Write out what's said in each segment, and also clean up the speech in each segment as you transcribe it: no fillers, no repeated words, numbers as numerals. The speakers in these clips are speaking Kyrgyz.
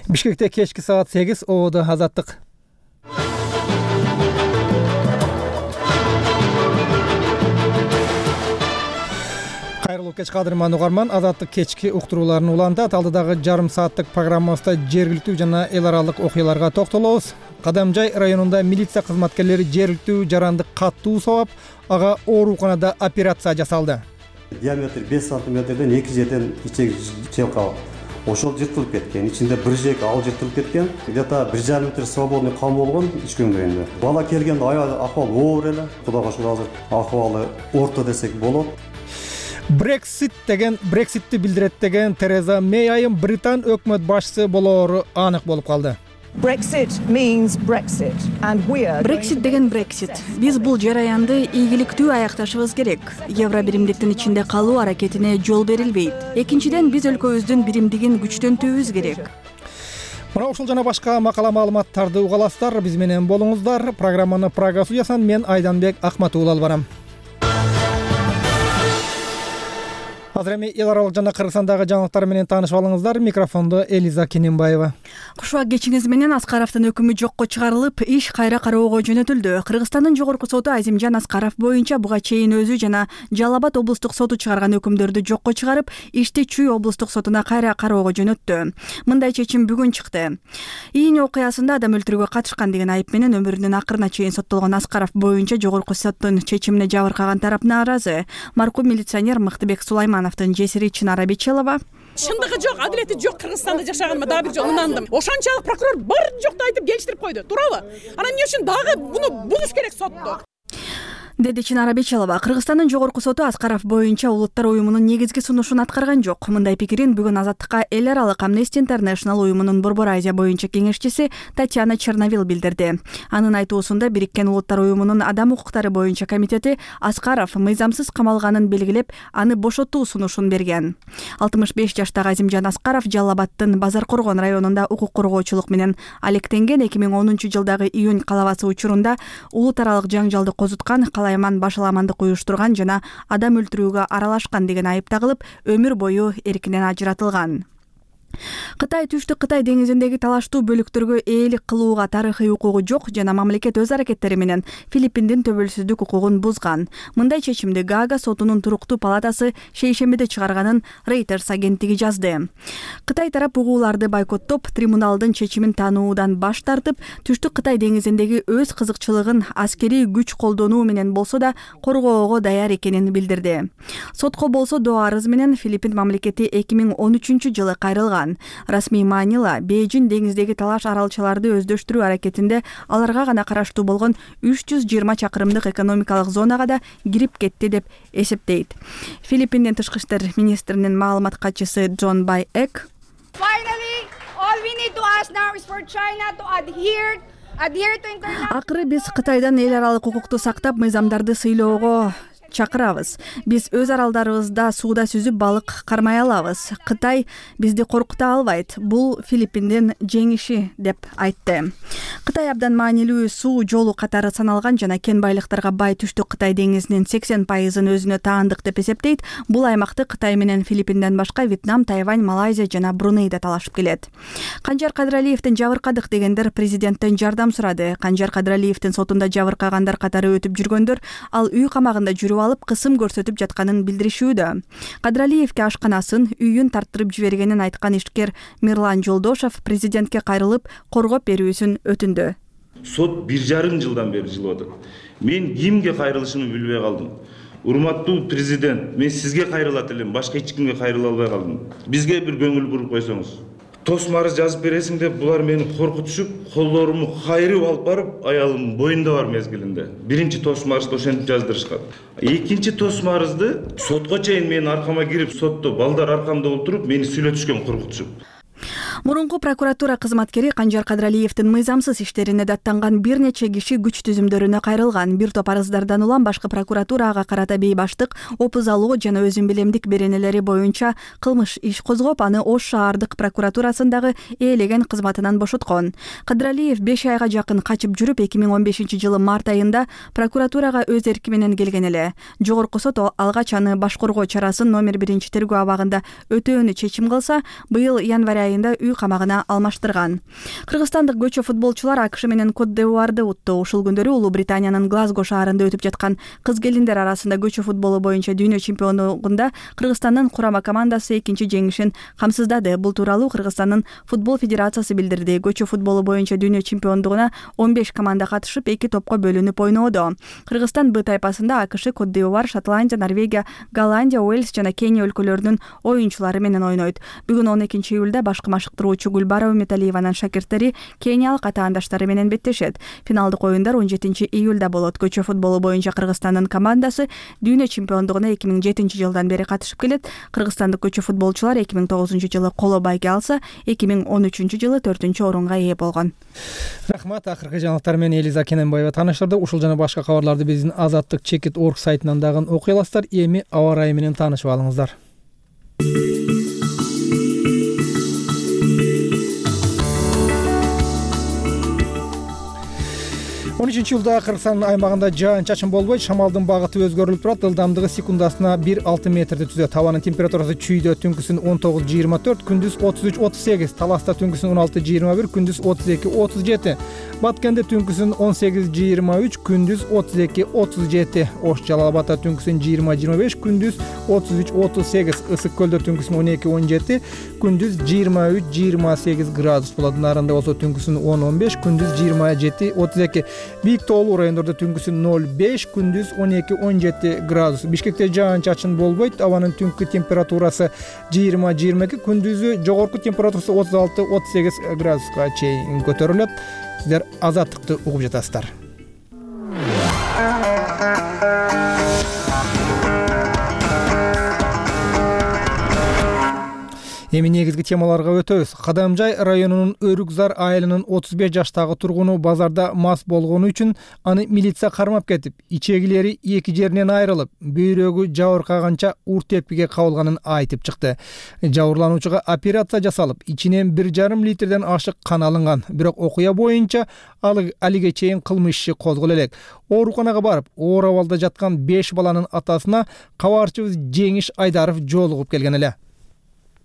Бишкекте кечки саат 8 ободо Азаттык. Кайрылуу кеч кадырман угарман, Азаттык кечки уктурууларын улантат. Алдыдагы жарым сааттык программабызда жергиликтүү жана эл аралык окуяларга токтолобуз. Кадамжай районунда милиция кызматкерлери жергиликтүү жаранды каттуу сабап, ага ооруканада операция жасалды. Диаметр 5 сантиметрден 2 жерден ичек челка ошол жыртылып кеткен. Ичинде бир жек ал жыртылып кеткен. Где-то 1,5 метр свободный кан болгон ич көңдөйүндө. Бала келгенде акыбалы оор эле. Кудайга шүгүр азыр акыбалы орто десек болот. Брекситти билдирет деген Тереза Мэй айым Британ өкмөт башчысы болоору анык болуп калды. Brexit деген Brexit. Биз бул жараянды ийгиликтүү аякташыбыз керек. Евро биримдиктин ичинде калуу аракетине жол берилбейт. Экинчиден, биз өлкөбүздүн биримдигин күчтөнтүүбүз керек. Мына ушул жана башка макала маалыматтарды угаласыздар. Биз менен болуңуздар. Программаны Прага студиясынан мен Айданбек Акматуулу алып барам. Азыр эми эл аралык жана Кыргызстандагы жаңылыктар менен таанышып алыңыздар. Микрофондо Элиза Кененбаева. Кушуак кечиңиз менен Аскаровдун өкүмү жокко чыгарылып, иш кайра кароого жөнөтүлдү. Кыргызстандын жогорку соту Азимжан Аскаров боюнча буга чейин өзү жана Жалал Абад облустук соту чыгарган өкүмдөрдү жокко чыгарып, ишти Чүй облустук сотуна кайра кароого жөнөттү. Мындай чечим бүгүн чыкты. Ийин окуясында адам өлтүрүүгө катышкан деген айып менен өмүрүнүн акырына чейин соттолгон Аскаров боюнча жогорку соттун чечимине жабыркаган тарап нааразы. Маркум милиционер Мыктыбек Сулаймановдун жесири Чынара Бечелова: Чындыгы жок, адилети жок Кыргызстанда жашаганыма дагы бир жолу ынандым. Ошончолук прокурор бар жокту айтып келиштирип койду, туурабы? Анан эмне үчүн дагы буну бузуш керек сотту? Деди Чынара Бечелова. Кыргызстандын жогорку соту Аскаров боюнча Улуттар уюмунун негизги сунушун аткарган жок. Мындай пикирин бүгүн Азаттыкка эл аралык Amnesty International уюмунун Борбор Азия боюнча кеңешчиси Татьяна Черновил билдирди. Анын айтуусунда Бириккен Улуттар уюмунун адам укуктары боюнча комитети Аскаров мыйзамсыз камалганын белгилеп, аны бошотуу сунушун берген. 65 жаштагы Азимжан Аскаров Жалал Абадтын Базар Коргон районунда укук коргоочулук менен алектенген. 2010-жылдагы июнь калабасы учурунда улут аралык жаңжалды козуткан, башаламандык уюштурган жана адам өлтүрүүгө аралашкан деген айып тагылып, өмүр бою эркинен ажыратылган. Кытай Түштүк Кытай деңизиндеги талаштуу бөлүктөргө ээлик кылууга тарыхый укугу жок жана мамлекет өз аракеттери менен Филиппиндин төбөлсүздүк укугун бузган. Мындай чечимди Гаага сотунун туруктуу палатасы шейшембиде чыгарганын Reuters агенттиги жазды. Кытай тарап угууларды бойкоттоп, трибуналдын чечимин таануудан баш тартып, Түштүк Кытай деңизиндеги өз кызыкчылыгын аскерий күч колдонуу менен болсо да коргоого даяр экенин билдирди. Сотко болсо доо арыз менен Филиппин мамлекети 2013-жылы кайрылган. Расмий маанила Бейжин деңиздеги талаш аралчаларды өздөштүрүү аракетинде аларга гана караштуу болгон 320 чакырымдык экономикалык зонага да кирип кетти деп эсептейт. Филиппиндин тышкы иштер министринин маалымат катчысы Джон Бай Эк: Акыры биз Кытайдан эл аралык укукту сактап, мыйзамдарды сыйлоого чакырабыз. Биз өз аралдарыбызда сууда сүзүп балык кармай алабыз. Кытай бизди коркута албайт. Бул Филиппиндин жеңиши деп айтты. Кытай абдан маанилүү суу жолу катары саналган жана кен байлыктарга бай Түштүк Кытай деңизинин 80%-ын өзүнө таандык деп эсептейт. Бул аймакты Кытай менен Филиппинден башка Вьетнам, Тайвань, Малайзия жана Бруней да талашып келет. Канжар Кадыралиевдин жабыркадык дегендер президенттен жардам сурады. Канжар Кадыралиевдин сотунда жабыркагандар катары өтүп жүргөндөр ал үй камагында жүрүп алып кысым көрсөтүп жатканын билдиришүүдө. Кадыралиевге ашканасын, үйүн тарттырып жибергенин айткан ишкер Мирлан Жолдошов президентке кайрылып, коргоп берүүсүн өтүндү. Сот 1,5 жылдан бери жылып атат. Мен кимге кайрылышымды билбей калдым. Урматтуу президент, мен сизге кайрылат элем, башка эч кимге кайрыла албай калдым. Бизге бир көңүл буруп койсоңуз. Тосмарыз жазып бересиң деп булар мени коркутушуп, колдорумду кайрып алып барып, аялым боюнда бар мезгилинде. Биринчи тосмарызды ошентип жаздырышкан. Экинчи тосмарызды сотко чейин менин аркама кирип, сотто балдар аркамда отуруп, мени сүйлөтүшкөн, коркутушуп. Мурунку прокуратура кызматкери Канжар Кадыралиевдин мыйзамсыз иштерине даттанган бир нече киши күч түзүмдөрүнө кайрылган. Бир топ арыздардан улам башкы прокуратурага карата бейбаштык, опуз алуу жана өзүн билемдик беренелери боюнча кылмыш иш козгоп, аны Ош шаардык прокуратурасындагы ээлеген кызматынан бошоткон. Кадыралиев 5 айга жакын качып жүрүп, 2015-жылы март айында прокуратурага өз эрки менен келген эле. Жогорку сот алгач аны баш коргоо чарасын номер 1 тергөө абагында өтөөнү чечим кылса, быйыл январь айында үй камагына алмаштырган. Кыргызстандык көчө футболчулар АКШ менен Кот д'Ивуарды утту. Ушул күндөрү Улуу Британиянын Глазго шаарында өтүп жаткан кыз-келиндер арасында көчө футболу боюнча дүйнө чемпиондугунда Кыргызстандын курама командасы экинчи жеңишин камсыздады. Бул тууралуу Кыргызстандын футбол федерациясы билдирди. Көчө футболу боюнча дүйнө чемпиондугуна 15 команда катышып, 2 топко бөлүнүп ойноодо. Кыргызстан Б тайпасында АКШ, Кот д'Ивуар, Шотландия, Норвегия, Голландия, Уэльс жана Кения өлкөлөрүнүн оюнчулары менен ойнойт. Бүгүн 12 июлда башкы машыктыруучу Гүлбарова Металиеванын шакирттери кениялык атаандаштары менен беттешет. Финалдык оюндар 17 июлда болот. Көчө футболу боюнча Кыргызстандын командасы дүйнө чемпиондугуна 2007-жылдан бери катышып келет. Кыргызстандык көчө футболчулар 2009-жылы коло байге алса, 2013-жылы 4-орунга ээ болгон. Рахмат. Акыркы жаңылыктар менен Элиза Кененбаева тааныштырды. Ушул жана башка кабарларды биздин Азаттык Чекит.org сайтынан дагы окуй аласыздар. Эми аба ырайы менен таанышып алыңыздар. 13-июлда Кыргызстан аймагында жаан-чачын болбойт, шамалдын багыты өзгөрүлүп турат, ылдамдыгы секундасына 1,6 метрди түзөт. Абанын температурасы чүйдө түнкүсүн 19-24, күндүз 33-38, Таласта түнкүсүн 16-21, күндүз 32-37, Баткенде түнкүсүн 18-23, күндүз 32-37, Ош Жалал Абадта түнкүсүн 20-25, күндүз 33-38, Ысык Көлдө түнкүсүн 12-17, күндүз 23-28 градус болот. Нарында болсо түнкүсүн 10-15, күндүз 27-32. Бийик тоолуу райондордо түнкүсүн 0,5, күндүз 12-17 градус. Бишкекте жаан-чачын болбойт, абанын түнкү температурасы 20-22, күндүзү жогорку температурасы 36-38 градуска чейин көтөрүлөт. Сиздер Азаттыкты угуп жатасыздар. Эми негизги темаларга өтөбүз. Кадамжай районунун Өрүкзар айылынын 35 жаштагы тургуну базарда мас болгону үчүн аны милиция кармап кетип, ичегилери эки жеринен айрылып, бөйрөгү жабыркаганча ур тепкиге кабылганын айтып чыкты. Жабырлануучуга операция жасалып, ичинен 1,5 литрден ашык кан алынган. Бирок окуя боюнча алиге чейин кылмыш иши козголо элек. Ооруканага барып, оор абалда жаткан 5 баланын атасына кабарчыбыз Жеңиш Айдаров жолугуп келген эле.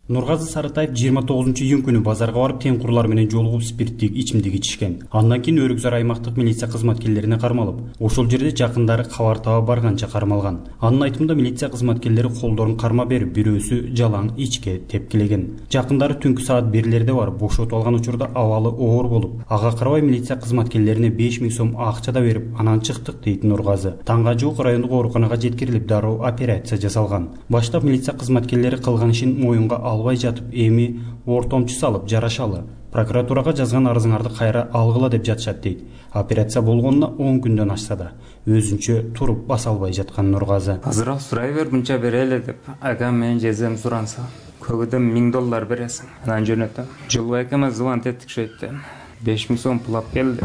Нургазы Сарытаев 29-июнь күнү базарга барып тең-курлар менен жолугуп спирттик ичимдик ичишкен. Андан кийин Өрүкзар аймактык милиция кызматкерлерине кармалып, ошол жерде жакындары кабар таба барганча кармалган. Анын айтымында милиция кызматкерлери колдорун карма берип, бирөөсү жалаң ичке тепкилеген. Жакындары түнкү саат 1-лерде барып бошотуп алган учурда абалы оор болуп, ага карабай милиция кызматкерлерине 5000 сом акча да берип, анан чыктык дейт Нургазы. Таңга жук райондук ооруканага жеткирилип, дароо операция жасалган. Баштап милиция кызматкерлери кылган ишин моюнга албай жатып, эми ортомчу салып жарашалы. Прокуратурага жазган арызыңарды кайра алгыла деп жатышат дейт. Операция болгонуна 10 күндөн ашса да өзүнчө туруп баса албай жаткан Нургазы. Азыраак сурай бер, мынча берели деп агам менен жезем суранса, көгөдөн $1000 бересиң. Анан жөнөтөм. Жылбай акама звонок эттик шейтте. 5000 сом пулап келди.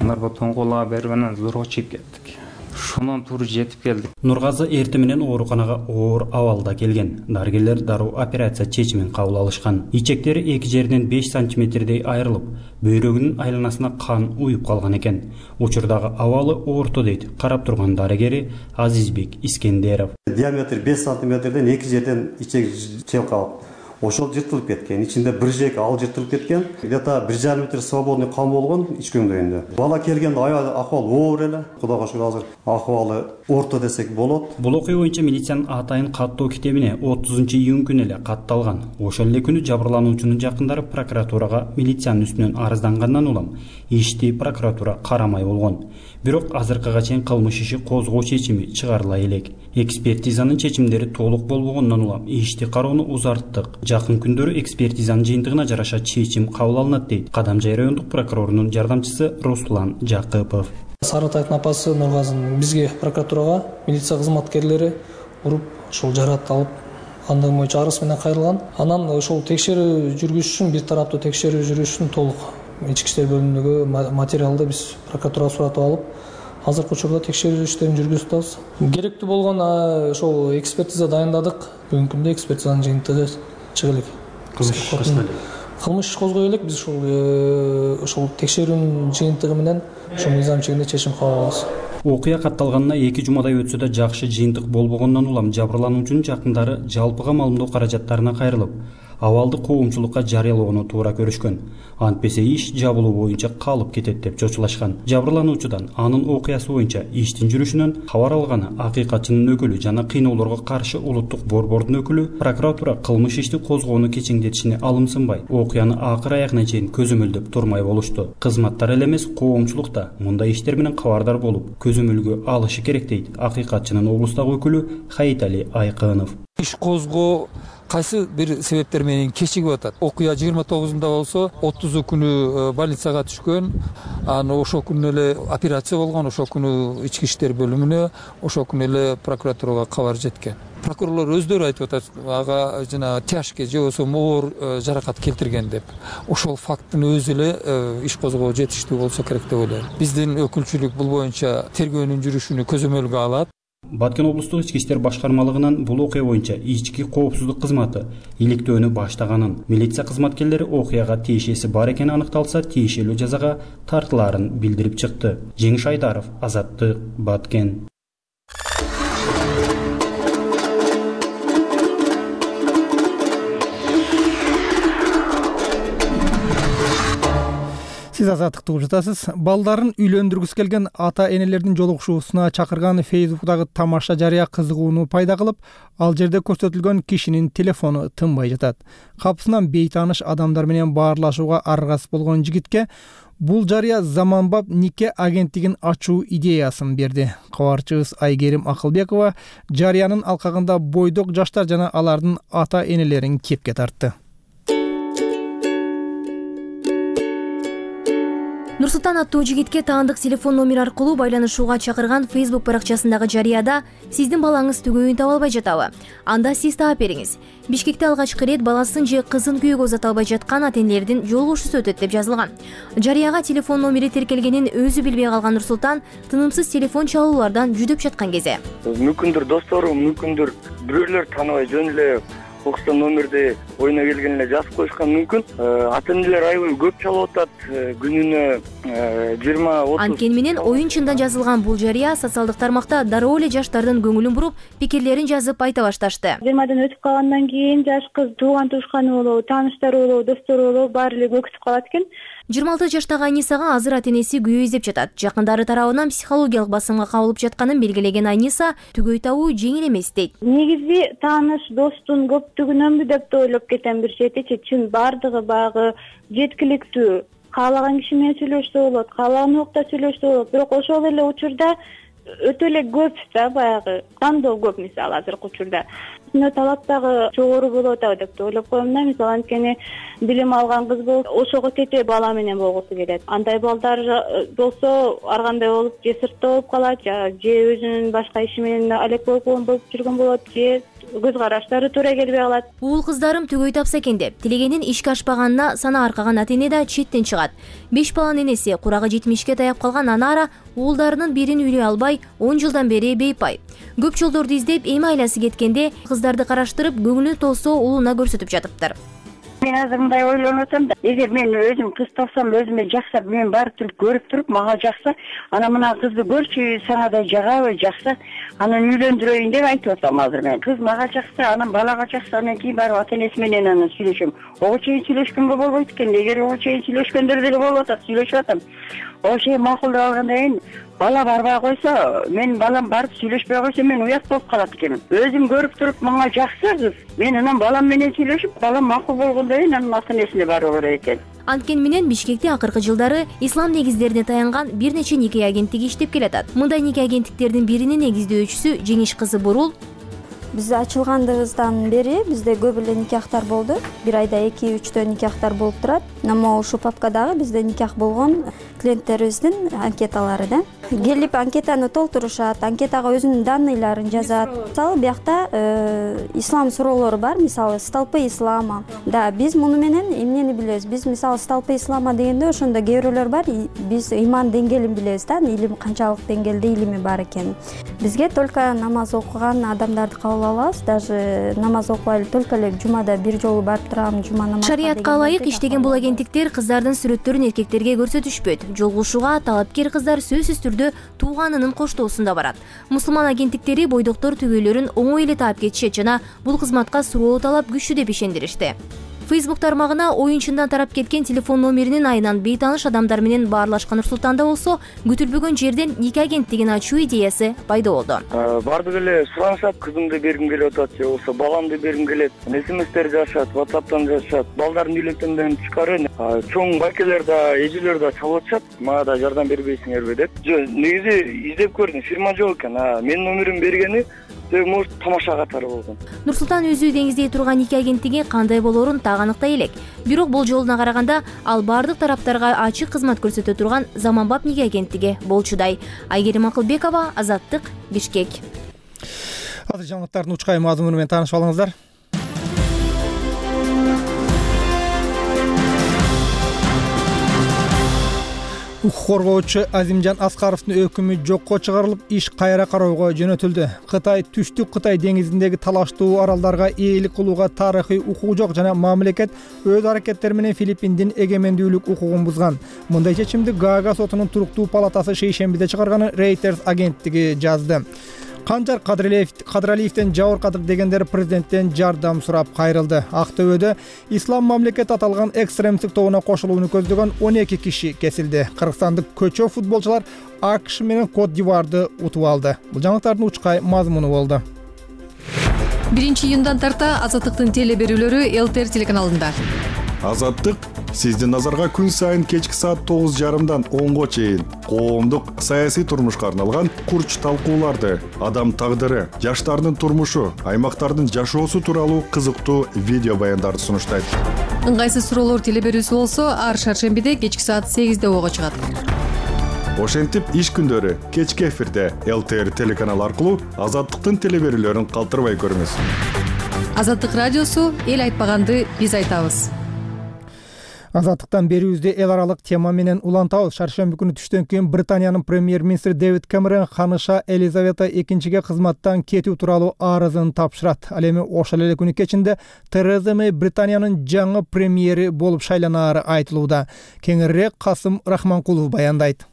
Аларга тоңгола берип анан зорго чыгып кеттик. Шунан тур жетип келдик. Нургазы эртең менен ооруканага оор абалда келген. Дарыгерлер дароо операция чечимин кабыл алышкан. Ичектери эки жеринен 5 сантиметрдей айрылып, бөйрөгүнүн айланасына кан уюп калган экен. Учурдагы абалы орто дейт карап турган дарыгери Азизбек Искендеров. Диаметр 5 сантиметрден эки жерден ичек чалкалып, ошол жыртылып кеткен. Ичинде бир жек ал жыртылып кеткен. Где-то 1,5 метр свободный кан болгон ичкөңдөйүндө. Бала келгенде акыбал оор эле. Кудайга шүгүр азыр акыбалы орто десек болот. Бул окуя боюнча милициянын атайын каттоо китебине 30-июнь күнү эле катталган. Ошол эле күнү жабырлануучунун жакындары прокуратурага милициянын үстүнөн арыздангандан улам ишти прокуратура карамай болгон. Бирок азыркыга чейин кылмыш иши козгоо чечими чыгарыла элек. Экспертизанын чечимдери толук болбогондон улам ишти кароону узарттык. Жакын күндөрү экспертизанын жыйынтыгына жараша чечим кабыл алынат дейт Кадамжай райондук прокурорунун жардамчысы Руслан Жакыпов. Сарытаевдин апасы Нургазынын бизге прокуратурага милиция кызматкерлери уруп, ошол жарат алып, андыгы боюнча арыз менен кайрылган. Анан ошол текшерүү жүргүзүш үчүн, бир тараптуу текшерүү жүргүзүш үчүн толук ички иштер бөлүмүндөгү материалды биз прокуратурага суратып алып, азыркы учурда текшерүү иштерин жүргүзүп атабыз. Керектүү болгон ошол экспертиза дайындадык. Бүгүнкү күндө экспертизанын жыйынтыгы чыга элек. Кылмыш иш козгой элек, биз ошол текшерүүнүн жыйынтыгы менен ошол мыйзам чегинде чечим кабыл алабыз. Окуя катталганына 2 жумадай өтсө да жакшы жыйынтык болбогондон улам жабырлануучунун жакындары жалпыга маалымдоо каражаттарына кайрылып, абалды коомчулукка жарыялоону туура көрүшкөн. Антпесе иш жабылуу боюнча калып кетет деп чочулашкан. Жабырлануучудан анын окуясы боюнча иштин жүрүшүнөн кабар алганы акыйкатчынын өкүлү жана кыйноолорго каршы улуттук борбордун өкүлү прокуратура кылмыш ишти козгоону кечеңдетишине алымсынбай, окуяны акыр аягына чейин көзөмөлдөп турмай болушту. Кызматтар эле эмес, коомчулук да мындай иштер менен кабардар болуп, көзөмөлгө алышы керек дейт акыйкатчынын облустагы өкүлү Хаитали Айкынов. Иш козгоо кайсы бир себептер менен кечигип атат. Окуя 29-унда болсо, 30 күнү больницага түшкөн, аны ошол күнү эле операция болгон, ошол күнү ички иштер бөлүмүнө, ошол күнү эле прокуратурага кабар жеткен. Прокурорлор өздөрү айтып атат, ага жана тяжкий же болбосо оор жаракат келтирген деп. Ошол факттын өзү эле иш козгоо жетиштүү болсо керек деп ойлойм. Биздин өкүлчүлүк бул боюнча тергөөнүн жүрүшүнү көзөмөлгө алат. Баткен облустук ички иштер башкармалыгынан бул окуя боюнча ички коопсуздук кызматы иликтөөнү баштаганын, милиция кызматкерлери окуяга тиешеси бар экени аныкталса, тиешелүү жазага тартылаарын билдирип чыкты. Жеңиш Айдаров, Азаттык, Баткен. Сиз Азаттыкты угуп жатасыз. Балдарын үйлөндүргүсү келген ата-энелердин жолугушуусуна чакырган Facebook'тагы тамаша жарыя кызыгууну пайда кылып, ал жерде көрсөтүлгөн кишинин телефону тынбай жатат. Капысынан бейтааныш адамдар менен баарлашууга аргасыз болгон жигитке бул жарыя заманбап нике агенттигин ачуу идеясын берди. Кабарчыбыз Айгерим Акылбекова жарыянын алкагында бойдок жаштар жана алардын ата-энелерин кепке тартты. Нурсултан аттуу жигитке таандык телефон номер аркылуу байланышууга чакырган Facebook баракчасындагы жарыяда сиздин балаңыз түгөйүн таба албай жатабы? Анда сиз таап бериңиз. Бишкекте алгачкы ирет баласын же кызын күйөөгө узата албай жаткан ата-энелердин жолугушуусу өтөт деп жазылган. Жарыяга телефон номери тиркелгенин өзү билбей калган Нурсултан тынымсыз телефон чалуулардан жүдөп жаткан кезде мүмкүндүр досторум, мүмкүндүр бирөөлөр тааныбай жөн эле окустан номерди оюна келген эле жазып коюшкан мүмкүн. Ата-энелер аябай көп чалып атат, күнүнө 20-30. Анткени менен оюн чында жазылган бул жарыя социалдык тармакта дароо эле жаштардын көңүлүн буруп, пикирлерин жазып айта башташты. 20 өтүп калгандан кийин жаш кыз тууган тушканы болобу, тааныштары болобу, достору болобу баары эле көкүтүп калат экен. 26 жаштагы Айнисага азыр ата-энеси күйөө издеп жатат. Жакындары тарабынан психологиялык басымга кабылып жатканын белгилеген Айниса түгөй табуу жеңил эмес дейт. Негизи тааныш достун көптүгүнөнбү деп да ойлоп кетем бир четичи. Чын бардыгы багы жеткиликтүү. Каалаган киши менен сүйлөшсө болот, каалаган убакта сүйлөшсө болот. Бирок ошол эле учурда өтө эле көп да баягы тандоо көп мисалы азыркы учурда. Талап дагы жогору болуп атабы деп ойлоп коем да. Мисалы анткени билим алган кыз болсо ошого тете бала менен болгусу келет. Андай балдар болсо ар кандай болуп же сыртта болуп калат, же өзүнүн башка иши менен алек болуп жүргөн болот, же көз караштары туура келбей калат. Уул кыздарым түгөй тапса экен деп тилегенин ишке ашпаганына сана аркаган ата-эне да четтен чыгат. 5 баланын энеси курагы 70ке таяп калган Анара уулдарынын бирин үйлөй албай 10 жылдан бери бейпай. Көп жолдорду издеп эми айласы кеткенде кыздарды караштырып көңүлү толсо уулуна көрсөтүп жатыптыр. Мен азыр мындай ойлонуп атам да, эгер мен өзүм кыз тапсам, өзүмө жакса, мен барып туруп көрүп туруп, мага жакса, ана мына кызды көрчү, сага да жагабы, жакса, анан үйлөндүрөйүн деп айтып атам азыр мен. Кыз мага жакса, анан балага жакса, анан кийин барып ата-энеси менен анан сүйлөшөм. Ого чейин сүйлөшкөнгө болбойт экен. Эгер ого чейин сүйлөшкөндөр деле болуп атат, сүйлөшүп атам. Ого чейин макулдап алгандан кийин бала барбай койсо, мен балам барып сүйлөшпөй койсо, мен уят болуп калат экенмин. Өзүм көрүп туруп, мага жакса кыз, мен анан балам менен сүйлөшүп, балам макул болгондон кийин анан ата-энесине баруу керек экен. Анткени менен Бишкекте акыркы жылдары ислам негиздерине таянган бир нече нике агенттиги иштеп келатат. Мындай нике агенттиктердин биринин негиздөөчүсү Жеңиш кызы Бурул. Биз ачылгандыгыбыздан бери бизде көп эле никахтар болду. Бир айда 2-3 никахтар болуп турат. Намо ушул папкадагы бизде никах болгон клиенттерибиздин анкеталары да. Келип анкетаны толтурушат, анкетага өзүнүн данныйларын жазат. Мисалы биякта ислам суроолору бар, мисалы столпы ислама. Да, биз муну менен эмнени билебиз? Биз мисалы столпы ислама дегенде ошондо кээ бирөөлөр бар, биз иман деңгээлин билебиз да, илим канчалык деңгээлде илими бар экенин. Бизге только намаз окуган адамдарды кабыл алабыз, даже намаз окубай только эле жумада бир жолу барып турам, жума намазына. Шариятка ылайык иштеген бул агенттиктер кыздардын сүрөттөрүн эркектерге көрсөтүшпөйт. Жолугушууга талапкер кыздар сөзсүз түрдө тууганынын коштоосунда барат. Мусулман агенттиктери бойдоктор түгөйлөрүн оңой эле таап кетишет жана бул кызматка суроо талап күчтүү деп ишендиришти. Facebook тармагына оюнчундан тарап кеткен телефон номеринин айынан бейтааныш адамдар менен баарлашкан Нур-Султанда болсо күтүлбөгөн жерден 2 агенттигин ачуу идеясы пайда болду. Бардык эле суранышат, кызымды бергим келип атат же болбосо баламды бергим келет. СМСтер жазышат, WhatsApp'тан жазышат. Балдардын үйлөктөндөн тышкары чоң байкелер да, эжелер да чалып атышат. Мага да жардам бербейсиңерби деп. Негизи издеп көрдүм, фирма жок экен. Менин номерим бергени может тамаша катары болгон. Нур-Султан өзү деңиздей турган 2 агенттиги кандай болоорун так аныктай элек. Бирок бул жолуна караганда ал бардык тараптарга ачык кызмат көрсөтө турган заманбап 2 агенттиги болчудай. Айгерим Акылбекова, Азаттык, Бишкек. Азыр жаңылыктардын учкай мазмуну менен таанышып алыңыздар. Укук коргоочу Азимжан Аскаровдун өкүмү жокко чыгарылып, иш кайра кароого жөнөтүлдү. Кытай түштүк Кытай деңизиндеги талаштуу аралдарга ээлик кылууга тарыхый укугу жок жана мамлекет өз аракеттери менен Филиппиндин эгемендүүлүк укугун бузган. Мындай чечимди Гаага сотунун туруктуу палатасы шейшембиде чыгарганын Reuters агенттиги жазды. Канжар Кадыралиевден жабыркадык дегендер президенттен жардам сурап кайрылды. Актөбөдө ислам мамлекет аталган экстремисттик тобуна кошулууну көздөгөн 12 киши кесилди. Кыргызстандык көчө футболчулар АКШ менен Кот-д'Ивуарды утуп алды. Бул жаңылыктардын учкай мазмуну болду. 1-июндан тарта Азаттыктын теле берүүлөрү ЛТР телеканалында. Азаттык сиздин назарга күн сайын кечки саат 9:30дан 10го чейин коомдук саясий турмушка арналган курч талкууларды, адам тагдыры, жаштардын турмушу, аймактардын жашоосу тууралуу кызыктуу видео баяндарды сунуштайт. Ыңгайсыз суроолор теле берүүсү болсо ар шаршембиде кечки саат 8де ого чыгат. Ошентип иш күндөрү кечки эфирде ЛТР телеканалы аркылуу Азаттыктын теле берүүлөрүн калтырбай көрүңүз. Азаттык радиосу эл айтпаганды биз айтабыз. Азаттыктан берүүбүздү эл аралык тема менен улантабыз. Шаршемби күнү түштөн кийин Британиянын премьер-министри Дэвид Кэмерон ханыша Елизавета II кызматтан кетүү тууралуу арызын тапшырат. Ал эми ошол эле күнү кечинде Тереза Мэй Британиянын жаңы премьери болуп шайланаары айтылууда. Кеңирээк Касым Рахманкулов баяндайт.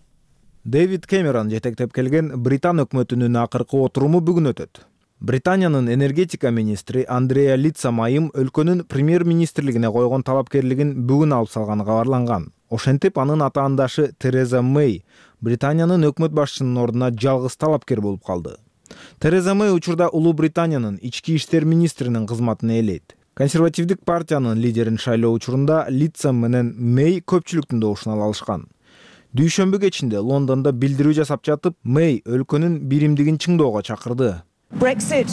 Дэвид Кэмерон жетектеп келген Британ өкмөтүнүн акыркы отуруму бүгүн өтөт. Британиянын энергетика министри Андреа Литса Майым өлкөнүн премьер-министрлигине койгон талапкерлигин бүгүн алып салганы кабарланган. Ошентип анын атаандашы Тереза Мэй Британиянын өкмөт башчысынын ордуна жалгыз талапкер болуп калды. Тереза Мэй учурда Улуу Британиянын ички иштер министринин кызматын ээлейт. Консервативдик партиянын лидерин шайлоо учурунда Литса менен Мэй көпчүлүктүн добушун ала алышкан. Дүйшөмбү кечинде Лондондо билдирүү жасап жатып, Мэй өлкөнүн биримдигин чыңдоого чакырды. Brexit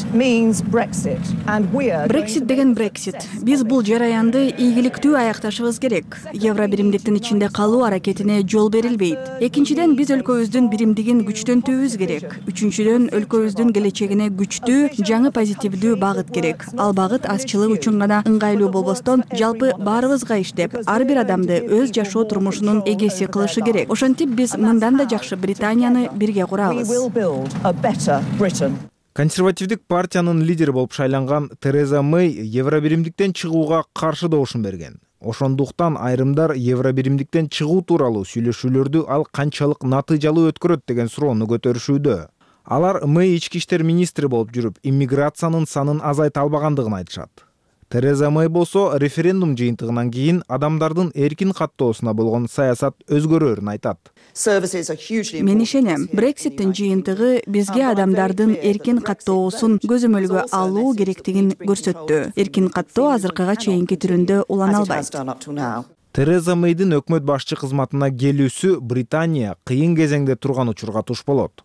деген Brexit. Биз бул жараянды ийгиликтүү аякташыбыз керек. Евро биримдиктин ичинде калуу аракетине жол берилбейт. Экинчиден, биз өлкөбүздүн биримдигин күчтөнтүүбүз керек. Үчүнчүдөн, өлкөбүздүн келечегине күчтүү, жаңы позитивдүү багыт керек. Ал багыт азчылык үчүн гана ыңгайлуу болбостон, жалпы баарыбызга иштеп, ар бир адамды өз жашоо турмушунун эгеси кылышы керек. Ошентип биз мындан да жакшы Британияны бирге курабыз. Консервативдик партиянын лидери болуп шайланган Тереза Мэй Евро биримдиктен чыгууга каршы добушун берген. Ошондуктан айрымдар Евро биримдиктен чыгуу тууралуу сүйлөшүүлөрдү ал канчалык натыйжалуу өткөрөт деген суроону көтөрүшүүдө. Алар Мэй ички иштер министри болуп жүрүп, иммиграциянын санын азайта албагандыгын айтышат. Тереза Мэй болсо референдум жыйынтыгынан кийин адамдардын эркин каттоосуна болгон саясат өзгөрөөрүн айтат. Мен ишенем, Брекситтин жыйынтыгы бизге адамдардын эркин каттоосун көзөмөлгө алуу керектигин көрсөттү. Эркин каттоо азыркыга чейинки түрүндө улана албайт. Тереза Мэйдин өкмөт башчы кызматына келүүсү Британия кыйын кезеңде турган учурга туш болот.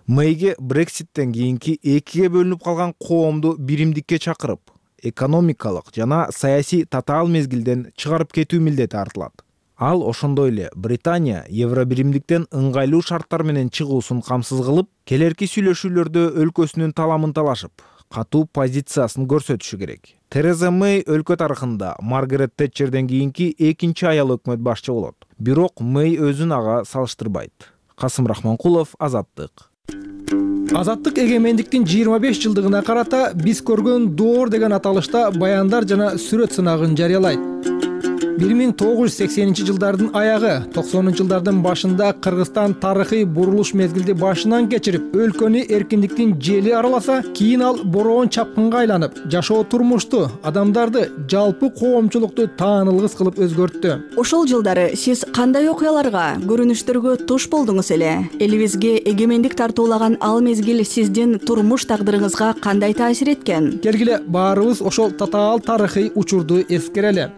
Мэйге Брекситтен кийинки экиге бөлүнүп калган коомду биримдикке чакырып, экономикалык жана саясий татаал мезгилден чыгарып кетүү милдети артылат. Ал ошондой эле Британия Евро биримдиктен ыңгайлуу шарттар менен чыгуусун камсыз кылып, келерки сүйлөшүүлөрдө өлкөсүнүн таламын талашып, катуу позициясын көрсөтүшү керек. Тереза Мэй өлкө тарыхында Маргарет Тэтчерден кийинки экинчи аял өкмөт башчы болот. Бирок Мэй өзүн ага салыштырбайт. Касым Рахманкулов, Азаттык. Азаттык эгемендиктин 25 жылдыгына карата биз көргөн доор деген аталышта баяндар жана сүрөт сынагын жарыялайт. 1980-жылдардын аягы, 90-жылдардын башында Кыргызстан тарыхый бурулуш мезгилди башынан кечирип, өлкөнү эркиндиктин жели араласа, кийин ал бороон чапкынга айланып, жашоо турмушту, адамдарды, жалпы коомчулукту таанылгыс кылып өзгөрттү. Ошол жылдары сиз кандай окуяларга, көрүнүштөргө туш болдуңуз эле? Элибизге эгемендик тартуулаган ал мезгил сиздин турмуш тагдырыңызга кандай таасир эткен? Келгиле баарыбыз ошол татаал тарыхый учурду эскерели.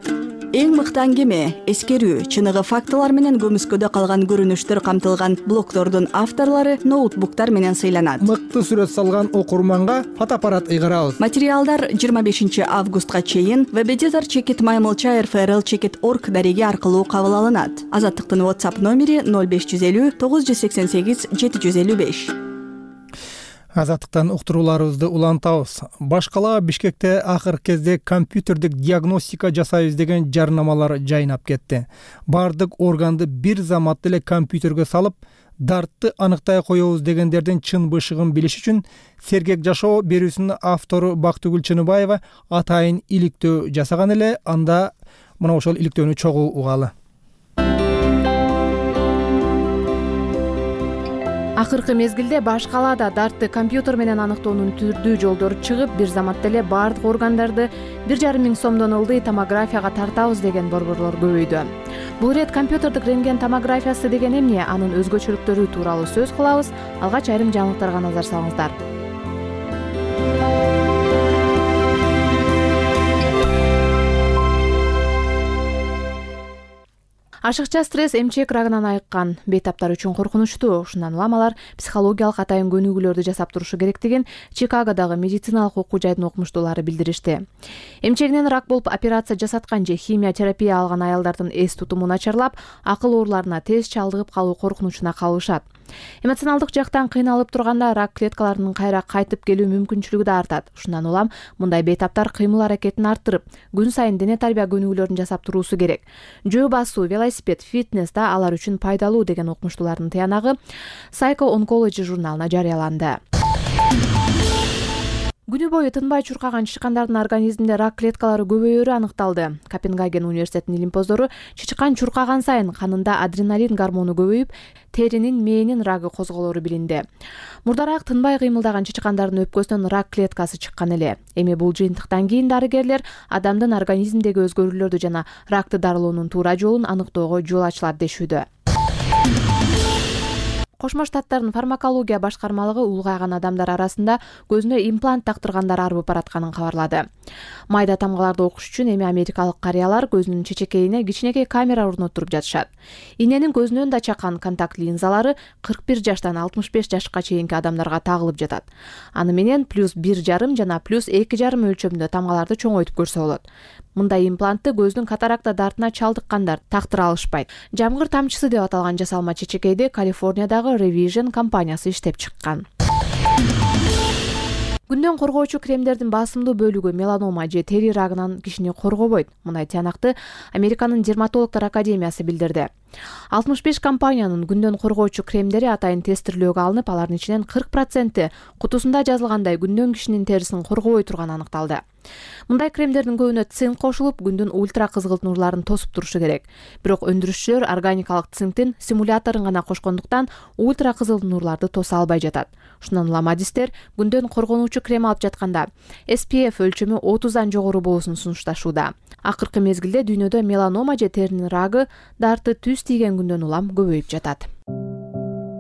Эң мыкты аңгеме, эскерүү, чыныгы фактылар менен көмүскөдө калган көрүнүштөр камтылган блогтордун авторлору ноутбуктар менен сыйланат. Мыкты сүрөт салган окурманга фотоаппарат ыйгарабыз. Материалдар 25 августка чейин www.maymulcha.rfrl.org дареги аркылуу кабыл алынат. Азаттыктын WhatsApp номери 0550 988 755. Азаттыктан уктурууларыбызды улантабыз. Баш кала Бишкекте акыркы кезде компьютердик диагностика жасайбыз деген жарнамалар жайнап кетти. Бардык органды бир заматта эле компьютерге салып, дартты аныктай коебуз дегендердин чын бышыгын билиш үчүн Сергек жашоо берүүсүнүн автору Бактыгүл Чыныбаева атайын иликтөө жасаган эле. Анда мына ошол иликтөөнү чогуу угалы. Акыркы мезгилде баш калаада дартты компьютер менен аныктоонун түрдүү жолдору чыгып, бир заматта эле бардык органдарды 1,5 миң сомдон ылдый томографияга тартабыз деген борборлор көбөйдү. Бул ирет компьютердик рентген томографиясы деген эмне, анын өзгөчөлүктөрү тууралуу сөз кылабыз. Алгач айрым жаңылыктарга назар салыңыздар. Ашыкча стресс эмчек рагынан айыккан бейтаптар үчүн коркунучтуу. Ушундан улам алар психологиялык атайын көнүгүүлөрдү жасап турушу керектигин Чикагодагы медициналык окуу жайдын окумуштуулары билдиришти. Эмчегинен рак болуп операция жасаткан же химия терапия алган аялдардын эс тутуму начарлап, акыл ооруларына тез чалдыгып калуу коркунучуна калышат. Эмоционалдык жактан кыйналып турганда рак клеткаларынын кайра кайтып келүү мүмкүнчүлүгү да артат. Ушундан улам мындай бейтаптар кыймыл аракетин арттырып, күн сайын дене тарбия көнүгүүлөрүн жасап туруусу керек. Жөө басуу, велосипед, фитнес да алар үчүн пайдалуу деген окумуштуулардын тыянагы Psycho Oncology журналына жарыяланды. Күнү бою тынбай чуркаган чычкандардын организминде рак клеткалары көбөйөрү аныкталды. Копенгаген университетинин илимпоздору чычкан чуркаган сайын канында адреналин гормону көбөйүп, теринин мээнин рагы козголору билинди. Мурдараак тынбай кыймылдаган чычкандардын өпкөсүнөн рак клеткасы чыккан эле. Эми бул жыйынтыктан кийин дарыгерлер адамдын организминдеги өзгөрүүлөрдү жана ракты дарылоонун туура жолун аныктоого жол ачылат дешүүдө. Кошмо Штаттардын фармакология башкармалыгы улгайган адамдар арасында көзүнө имплант тактыргандар арбып баратканын кабарлады. Майда тамгаларды окуш үчүн эми америкалык карыялар көзүнүн чечекейине кичинекей камера орноттуруп жатышат. Иненин көзүнөн да чакан контакт линзалары 41 жаштан 65 жашка чейинки адамдарга тагылып жатат. Аны менен +1,5 жана +2,5 өлчөмдө тамгаларды чоңойтуп көрсө болот. Мындай имплантты көздүн катаракта дартына чалдыккандар тактыра алышпайт. Жамгыр тамчысы деп аталган жасалма чечекейди Калифорниядагы Revision компаниясы иштеп чыккан. Күндөн коргоочу кремдердин басымдуу бөлүгү меланома же тери рагынан кишини коргобойт. Мындай тыянакты Американын дерматологдор академиясы билдирди. 65 компаниянын күндөн коргоочу кремдери атайын тестирлөөгө алынып, алардын ичинен 40% кутусунда жазылгандай күндөн кишинин терисин коргобой турганы аныкталды. Мындай кремдердин көбүнө цинк кошулуп, күндүн ультра кызгылт нурларын тосуп турушу керек. Бирок өндүрүшчүлөр органикалык цинктин симуляторун гана кошкондуктан ультра кызыл нурларды тоса албай жатат. Ушундан улам адистер күндөн коргонуучу крем алып жатканда SPF өлчөмү 30дан жогору болуусун сунушташууда. Акыркы мезгилде дүйнөдө меланома же теринин рагы дарты түз тийген күндөн улам көбөйүп жатат.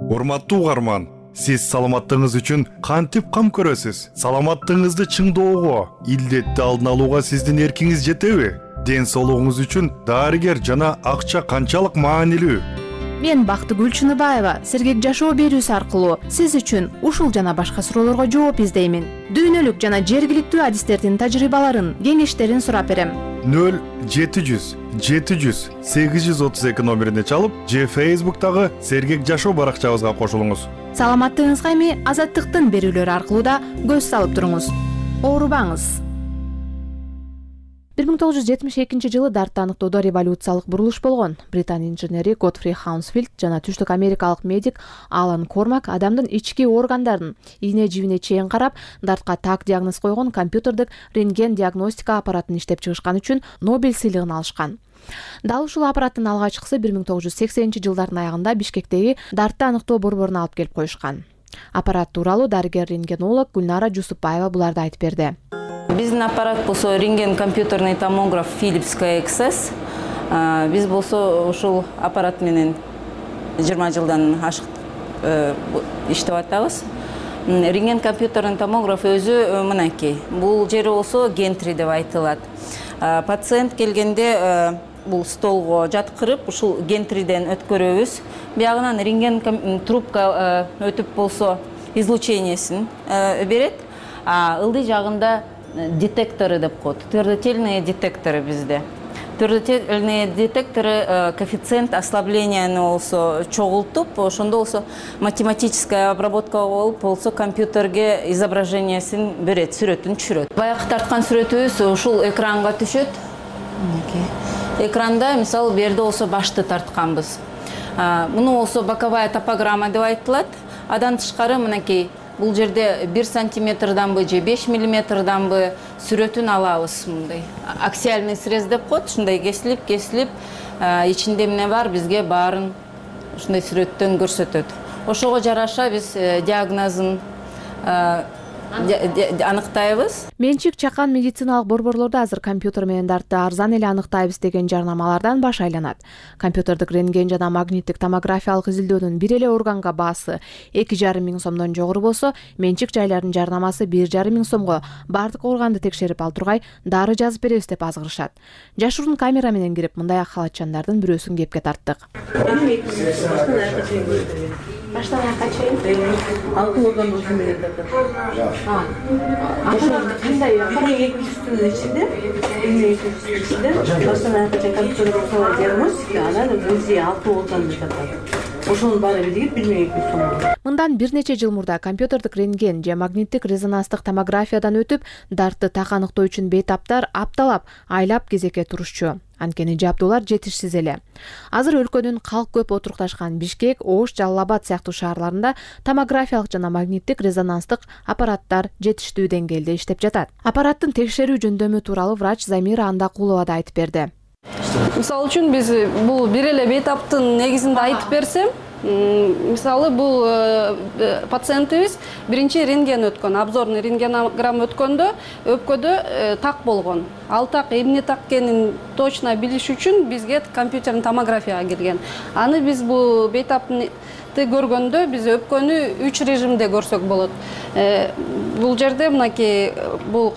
Урматтуу угарман, сиз саламаттыгыңыз үчүн кантип кам көрөсүз? Саламаттыгыңызды чыңдоого, илдетти алдын алууга сиздин эркиңиз жетеби? Ден соолугуңуз үчүн дарыгер жана акча канчалык маанилүү? Мен Бактыгүл Чыныбаева Сергек жашоо берүүсү аркылуу сиз үчүн ушул жана башка суроолорго жооп издеймин. Дүйнөлүк жана жергиликтүү адистердин тажрыйбаларын, кеңештерин сурап берем. 0700 700 832 номерине чалып, же Facebook'тагы Сергек жашоо баракчабызга кошулуңуз. Саламаттыгыңызга эми Азаттыктын берүүлөрү аркылуу да көз салып туруңуз. Оорубаңыз. 1972 жылы дартты аныктоодо революциялык бурулуш болгон. Британ инженери Готфри Хаунсфилд жана түштүк америкалык медик Алан Кормак адамдын ички органдарын ийне жибине чейин карап, дартка так диагноз койгон компьютердик рентген диагностика аппаратын иштеп чыгышкан үчүн Нобель сыйлыгын алышкан. Дал ушул аппараттын алгачкысы 1980-жылдардын аягында Бишкектеги дартты аныктоо борборуна алып келип коюшкан. Аппарат тууралуу дарыгер-рентгенолог Гүлнара Жусупбаева буларды айтып берди. Биздин аппарат болсо рентген компьютерный томограф Philips KXS. Биз болсо ушул аппарат менен 20 жылдан ашык иштеп атабыз. Рентген компьютерный томограф өзү мынакей. Бул жери болсо гентри деп айтылат. Пациент келгенде бул столго жаткырып, ушул гентриден өткөрөбүз. Биягынан рентген трубка өтүп болсо излучениесин берет. Ылдый жагында детекторы деп коет. Твердотельные детекторы bizde. Твердотельные детекторы коэффициент ослабления болсо чогултуп, ошондо болсо математическая обработка болуп болсо компьютерге изображениесин берет, сүрөтүн түшүрөт. Баягы тарткан сүрөтүбүз ушул экранга түшөт. Экранда мисалы берде болсо башты тартканбыз. Муну болсо боковая топограмма деп айтылат. Адан тышкары мынакей бул жерде 1 сантиметрданбы же 5 миллиметрданбы сүрөтүн алабыз мындай. Аксиальный срез деп коет, ушундай кесилип, ичинде эмне бар бизге баарын ушундай сүрөттөн көрсөтөт. Ошого жараша биз диагнозун аныктайбыз. Менчик чакан медициналык борборлордо азыр компьютер менен дартты арзан эле аныктайбыз деген жарнамалардан баш айланат. Компьютердик рентген жана магниттик томографиялык изилдөөнүн бир эле органга баасы 2,5 миң сомдон жогору болсо, менчик жайлардын жарнамасы 1,5 миң сомго бардык органды текшерип ал тургай дары жазып беребиз деп азгырышат. Жашыруун камера менен кирип мындай халатчандардын бирөөсүн кепке тарттык. Баштан аяққа чейин алтын орган болсын деген тартат. Кандай 1200-тün içinde, 1200-тün içinde баштан аяққа чейин компьютер жасалган диагностика, анан өзү алтын орган деп атат. Ошонун баары биригип 1200 сом. Мындан бир нече жыл мурда компьютердик рентген же магниттик резонанстык томографиядан өтүп, дартты так аныктоо үчүн бейтаптар апталап, айлап кезекке турушчу. Анткени жабдуулар жетишсиз эле. Азыр өлкөнүн калк көп отурукташкан Бишкек, Ош, Жалал-Абад сыяктуу шаарларында томографиялык жана магниттик резонанстык аппараттар жетиштүү деңгээлде иштеп жатат. Аппараттын текшерүү жөндөмү тууралуу врач Замира Андакулова да айтып берди. Мисалы үчүн биз бул бир эле бейтаптын негизинде айтып берсем, мисалы бул пациентибиз биринчи рентген өткөн, обзорный рентгенограмма өткөндө өпкөдө так болгон. Ал так эмне так экенин точно билиш үчүн бизге компьютерный томографияга келген. Аны биз бул бейтапты көргөндө биз өпкөнү 3 режимде көрсөк болот. Бул жерде мынакей бул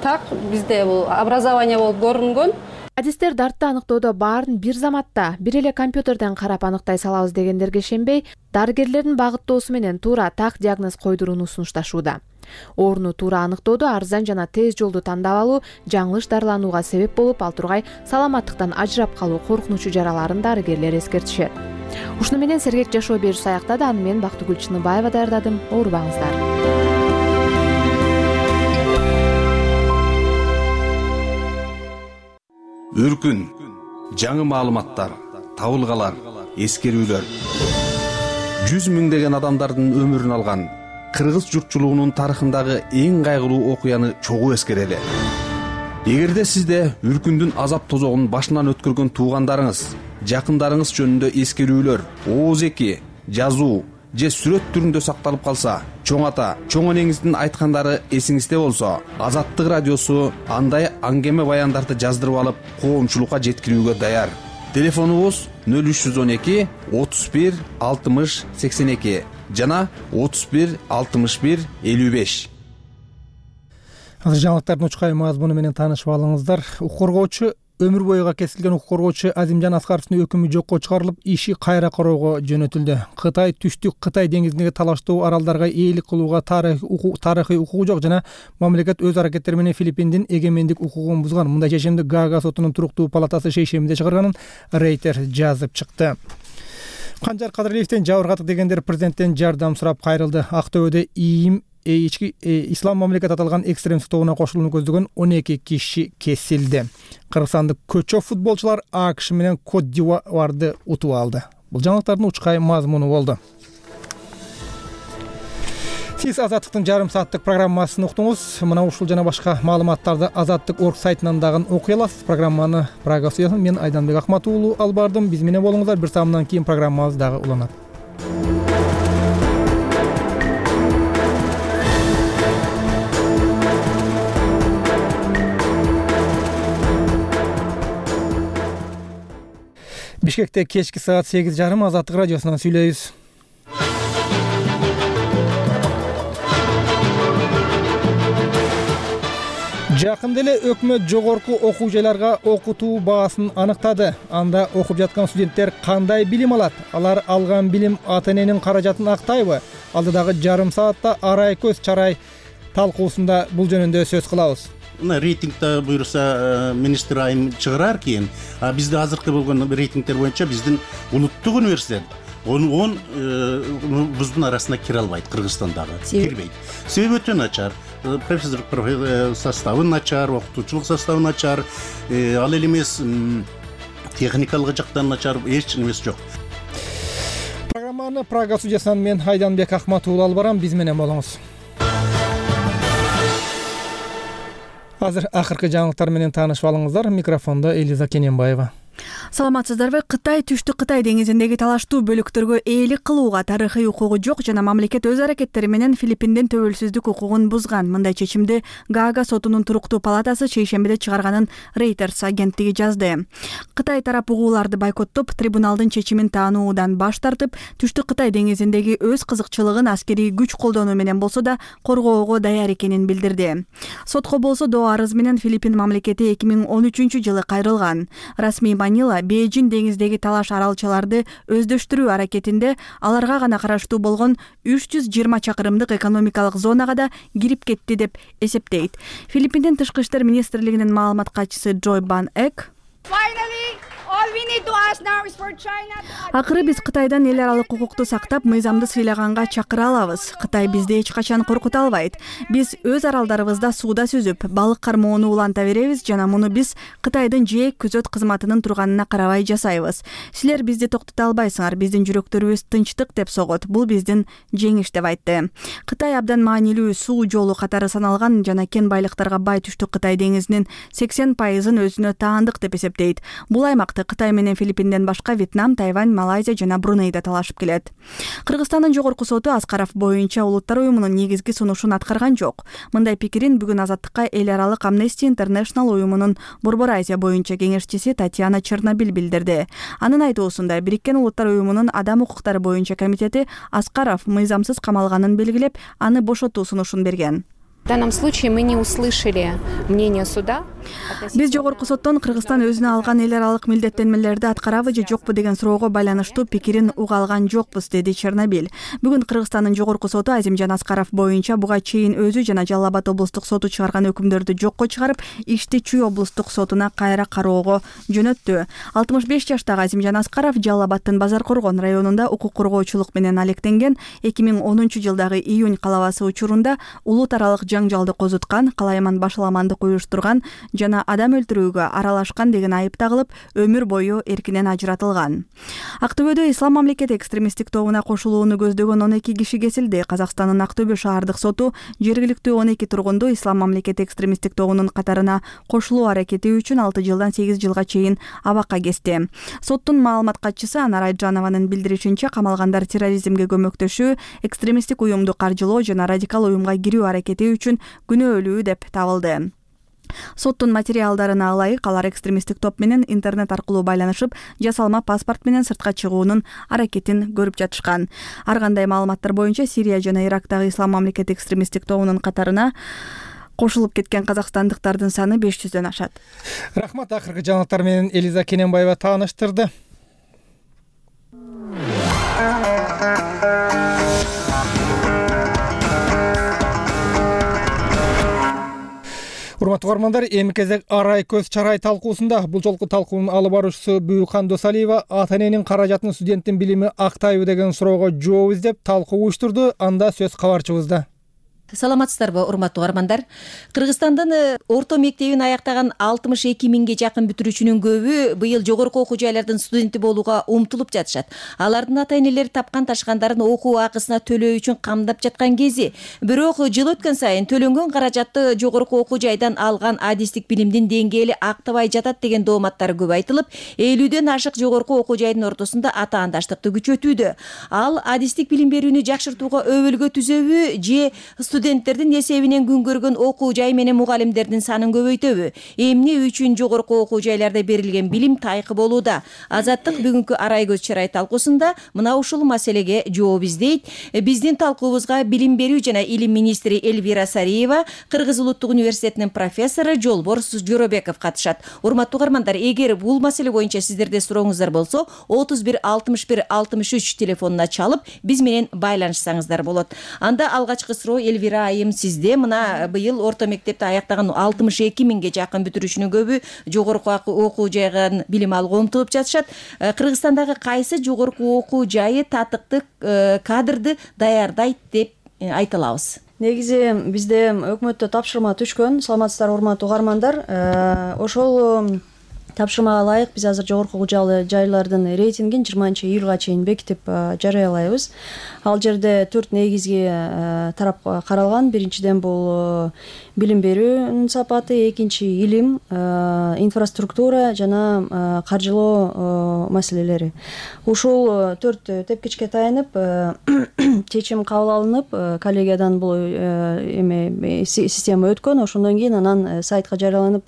так бизде бул образование болуп көрүнгөн. Адистер дартты аныктоодо баарын бир заматта бир эле компьютерден карап аныктай салабыз дегендерге ишенбей, дарыгерлердин багыттоосу менен туура так диагноз койдурууну сунушташууда. Орну туура аныктоодо арзан жана тез жолду тандап алуу жаңылыш дарыланууга себеп болуп, ал тургай саламаттыктан ажырап калуу коркунучу жараларын дарыгерлер эскертишет. Ушуну менен сергек жашоо берүүсү аяктады. Аны мен Бактыгүл Чыныбаева даярдадым. Оорубаңыздар. Үркүн, жаңы маалыматтар, табылгалар, эскерүүлөр. 100 миңдеген адамдардын өмүрүн алган кыргыз журтчулугунун тарыхындагы эң кайгылуу окуяны чогуу эскерели. Эгерде сизде үркүндүн азап тозогун башынан өткөргөн туугандарыңыз, жакындарыңыз жөнүндө эскерүүлөр, ооз-эки, жазуу же сүрөт түрүндө сакталып калса, чоң ата, чоң энеңиздин айткандары эсиңизде болсо, Азаттык радиосу андай аңгеме баяндарды жаздырып алып, коомчулукка жеткирүүгө даяр. Телефонубуз 0312 31 60 82 жана 31 61 55. Азыр жаңылыктардын учкай мазмуну менен таанышып алыңыздар. Укук коргоочу өмүр боюга кесилген укук коргоочу Азимжан Аскаровдун өкүмү жокко чыгарылып, иши кайра кароого жөнөтүлдү. Кытай түштүк Кытай деңизиндеги талаштуу аралдарга ээлик кылууга тарыхый укугу жок жана мамлекет өз аракеттери менен Филиппиндин эгемендик укугун бузган. Мындай чечимди Гаага сотунун туруктуу палатасы шейшембиде чыгарганын Рейтер жазып чыкты. Канжар Кадыралиевден жабыркаттык дегендер президенттен жардам сурап кайрылды. Актөбөдө ислам мамлекет аталган экстремисттик тобуна кошулууну көздөгөн 12 киши кесилди. Кыргызстандык көчө футболчулар АКШ менен Кот д'Ивуарды утуп алды. Бул жаңылыктардын учкай мазмуну болду. Сиз Азаттыктын жарым сааттык программасын уктуңуз. Мына ушул жана башка маалыматтарды Азаттык.org сайтынан дагы окуй аласыз. Программаны Прага студиясынан мен Айданбек Акмат уулу алып бардым. Биз менен болуңуздар. Бир саамдан кийин программабыз дагы уланат. Бишкекте кечки саат 8:30 Азаттык радиосунан сүйлөйбүз. Жакында эле өкмөт жогорку окуу жайларга окутуу баасын аныктады. Анда окуп жаткан студенттер кандай билим алат? Алар алган билим ата-эненин каражатын актайбы? Алдыдагы жарым саатта арай көз чарай талкуусунда бул жөнүндө сөз кылабыз. Мына рейтингде буюрса министр айым чыгарар кийин, бизде азыркы болгон рейтингдер боюнча биздин улуттук университет 10 биздин арасына кире албайт, Кыргызстандагы кирбейт. Себеби өтө начар. Профессор составы начар, окутуучулук составы начар, ал эле эмес техникалык жактан начар, эч нерсе жок. Программаны Прага студиясынан мен Айданбек Акмат уулу алып барам. Биз менен болуңуз. Азыр акыркы жаңылыктар менен таанышып алыңыздар. Микрофондо Элиза Кененбаева. Саламатсыздарбы? Кытай түштүк Кытай деңизиндеги талаштуу бөлүктөргө ээлик кылууга тарыхый укугу жок жана мамлекет өз аракеттери менен Филиппиндин төбөлсүздүк укугун бузган. Мындай чечимди Гаага сотунун туруктуу палатасы шейшембиде чыгарганын Reuters агенттиги жазды. Кытай тарап угууларды бойкоттоп, трибуналдын чечимин таануудан баш тартып, түштүк Кытай деңизиндеги өз кызыкчылыгын аскерий күч колдонуу менен болсо да коргоого даяр экенин билдирди. Сотко болсо доо арыз менен Филиппин мамлекети 2013-жылы кайрылган. Расмий Манила Бейжин деңиздеги талаш аралчаларды өздөштүрүү аракетинде аларга гана караштуу болгон 320 чакырымдык экономикалык зонага да кирип кетти деп эсептейт. Филиппиндин тышкы иштер министрлигинин маалымат катчысы Джой Бан Эк акыры биз Кытайдан эл аралык укукту сактап, мыйзамды сыйлаганга чакыра алабыз. Кытай бизди эч качан коркута албайт. Биз өз аралдарыбызда сууда сүзүп, балык кармоону уланта беребиз жана муну биз Кытайдын жээк күзөт кызматынын турганына карабай жасайбыз. Силер бизди токтото албайсыңар, биздин жүрөктөрүбүз тынчтык деп согот. Бул биздин жеңиш деп айтты. Кытай абдан маанилүү суу жолу катары саналган жана кен байлыктарга бай түштүк Кытай деңизинин 80%-ын өзүнө таандык деп эсептейт. Бул аймакты Кытай менен Филиппинден башка Вьетнам, Тайвань, Малайзия жана Брунейде талашып келет. Кыргызстандын жогорку соту Аскаров боюнча улуттар уюмунун негизги сунушун аткарган жок. Мындай пикирин бүгүн Азаттыкка эл аралык Amnesty International уюмунун Борбор Азия боюнча кеңешчиси Татьяна Чернобиль билдирди. Анын айтуусунда Бириккен Улуттар уюмунун адам укуктары боюнча комитети Аскаров мыйзамсыз камалганын белгилеп, аны бошотуу сунушун берген. В данном случае мы не услышали мнение суда. Биз жогорку соттон Кыргызстан өзүнө алган эл аралык милдеттенмелерди аткарабы же жокпу деген суроого байланыштуу пикирин уга алган жокпуз, деди Чернобиль. Бүгүн Кыргызстандын жогорку соту Азимжан Аскаров боюнча буга чейин өзү жана Жалал Абад облустук соту чыгарган өкүмдөрдү жокко чыгарып, ишти Чүй облустук сотуна кайра кароого жөнөттү. 65 жаштагы Азимжан Аскаров Жалал Абаддын Базар Коргон районунда укук коргоочулук менен алектенген. 2010-жылдагы июнь калабасы учурунда улут аралык жаңжалды козуткан, калайман башаламандык уюштурган жана адам өлтүрүүгө аралашкан деген айып тагылып, өмүр бою эркинен ажыратылган. Актөбөдө Ислам мамлекети экстремисттик тобуна кошулууну көздөгөн 12 киши кесилди. Казакстандын Актөбө шаардык соту жергиликтүү 12 тургунду Ислам мамлекети экстремисттик тобунун катарына кошулуу аракети үчүн 6 жылдан 8 жылга чейин абакка кести. Соттун маалымат катчысы Анар Айджанованын билдиришинче, камалгандар терроризмге көмөктөшүү, экстремисттик уюмду каржылоо жана радикал уюмга кирүү аракети үчүн күнөөлүү деп табылды. Соттун материалдарына ылайык, алар экстремисттик топ менен интернет аркылуу байланышып, жасалма паспорт менен сыртка чыгуунун аракетин көрүп жатышкан. Ар кандай маалыматтар боюнча Сирия жана Ирактагы Ислам мамлекети экстремисттик тобунун катарына кошулуп кеткен казакстандыктардын саны 500дөн ашат. Рахмат, акыркы жаңылыктар менен Элиза Кененбаева тааныштырды. Урматтуу угармандар, эми кезек арай көз чарай талкуусунда. Бул жолку талкуунун алып баруучусу Бүйүкхан Досалиева ата-эненин каражатын студенттин билими актайбы деген суроого жооп издеп талкуу уюштурду. Анда сөз кабарчыбызда. Саламатсыздарбы, урматтуу угармандар? Кыргызстандын орто мектебин аяктаган 62 миңге жакын бүтүрүүчүнүн көбү быйыл жогорку окуу жайлардын студенти болууга умтулуп жатышат. Алардын ата-энелери тапкан ташкандарын окуу акысына төлөө үчүн камдап жаткан кези. Бирок жыл өткөн сайын төлөнгөн каражатты жогорку окуу жайдан алган адистик билимдин деңгээли актабай жатат деген дооматтар көп айтылып, 50ден ашык жогорку окуу жайдын ортосунда атаандаштыкты күчөтүүдө. Ал адистик билим берүүнү жакшыртууга өбөлгө түзөбү же студенттердин эсебинен күн көргөн окуу жай менен мугалимдердин санын көбөйтөбү? Эмне үчүн жогорку окуу жайларда берилген билим тайкы болууда? Азаттык бүгүнкү арай көз чырай талкуусунда мына ушул маселеге жооп издейт. Биздин талкуубузга билим берүү жана илим министри Элвира Сариева, Кыргыз улуттук университетинин профессору Жолбор Жоробеков катышат. Урматтуу угармандар, эгер бул маселе боюнча сиздерде сурооңуздар болсо, 31 61 63 телефонуна чалып, биз менен байланышсаңыздар болот. Анда алгачкы суроо Элвира айым сизде. Мына быйыл орто мектепти аяктаган 62 миңге жакын бүтүрүүчүнүн көбү жогорку окуу жайга билим алууга умтулуп жатышат. Кыргызстандагы кайсы жогорку окуу жайы татыктуу кадрды даярдайт деп айта алабыз? Негизи бизде өкмөттө тапшырма түшкөн. Саламатсыздар, урматтуу угармандар. Ошол тапшырмага ылайык биз азыр жогорку окуу жайлардын рейтингин 20-июлга чейин бекитип жарыялайбыз. Ал жерде 4 негизги тарап каралган. Биринчиден бул билим берүүнүн сапаты, экинчи илим, инфраструктура жана каржылоо маселелери. Ушул 4 тепкичке таянып чечим кабыл алынып, коллегиядан бул система өткөн. Ошондон кийин анан сайтка жарыяланып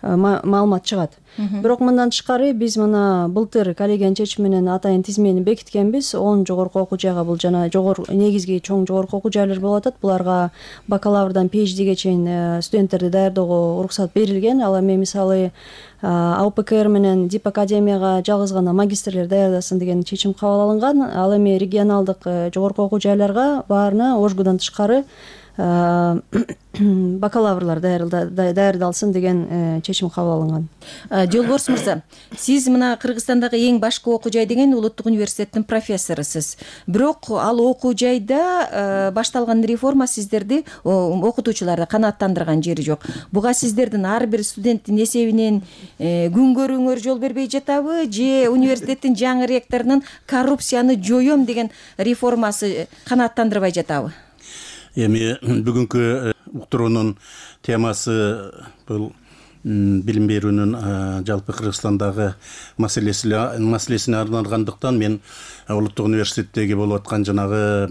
маалымат чыгат. Бирок мындан тышкары биз мына былтыр коллегиянын чечими менен атайын тизмени бекиткенбиз. 10 жогорку окуу жайга бул жана негизги чоң жогорку окуу жайлар болуп атат. Буларга бакалаврдан PhDге чейин студенттерди даярдоого уруксат берилген. Ал эми мисалы АУПКР менен Дип академияга жалгыз гана магистрлер даярдасын деген чечим кабыл алынган. Ал эми регионалдык жогорку окуу жайларга баарына ОЖГУдан тышкары бакалаврлар даярдалсын деген чечим кабыл алынган. Жолборс мырза, сиз мына Кыргызстандагы эң башкы окуу жай деген улуттук университеттин профессорусуз. Бирок ал окуу жайда башталган реформа сиздерди, окутуучуларды канааттандырган жери жок. Буга сиздердин ар бир студенттин эсебинен күн көрүүңөр жол бербей жатабы, же университеттин жаңы ректорунун коррупцияны жоём деген реформасы канааттандырбай жатабы? Эми бүгүнкү уктуруунун темасы бул билим берүүнүн жалпы Кыргызстандагы маселесине арналгандыктан мен улуттук университеттеги болуп аткан жанагы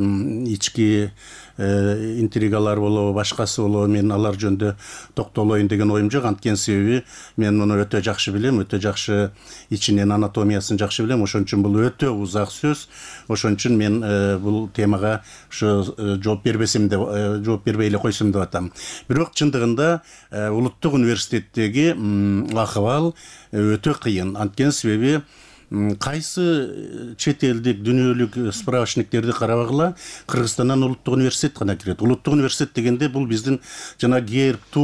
ички интригалар болобу, башкасы болобу, мен алар жөнүндө токтолоюн деген оюм жок. Анткени себеби мен муну өтө жакшы билем, өтө жакшы ичинен анатомиясын жакшы билем. Ошон үчүн бул өтө узак сөз. Ошон үчүн мен бул темага ушу жооп бербесем деп, жооп бербей эле койсом деп атам. Бирок чындыгында улуттук университеттеги акыбал өтө кыйын. Анткени себеби кайсы чет элдик дүйнөлүк справочниктерди карабагыла, Кыргызстандан улуттук университет гана кирет. Улуттук университет дегенде бул биздин жана герб, ту,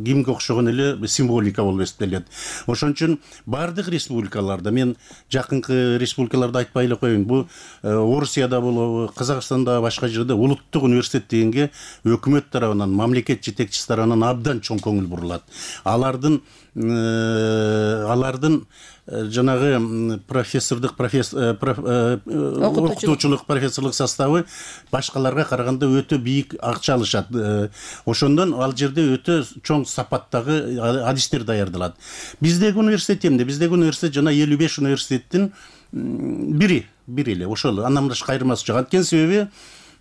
гимнге окшогон эле символика болуп эсептелет. Ошон үчүн бардык республикаларда, мен жакынкы республикаларды айтпай эле коеюн, бул Орусияда болобу, Казакстанда, башка жерде улуттук университет дегенге өкмөт тарабынан, мамлекет жетекчиси тарабынан абдан чоң көңүл бурулат. Алардын жанагы окутуучулук профессорлук составы башкаларга караганда өтө бийик акча алышат. Ошондон ал жерде өтө чоң сапаттагы адистер даярдалат. Биздеги университет эмне? Биздеги университет жана 55 университеттин бири эле. Ошол андан башка айырмасы жок. Анткени себеби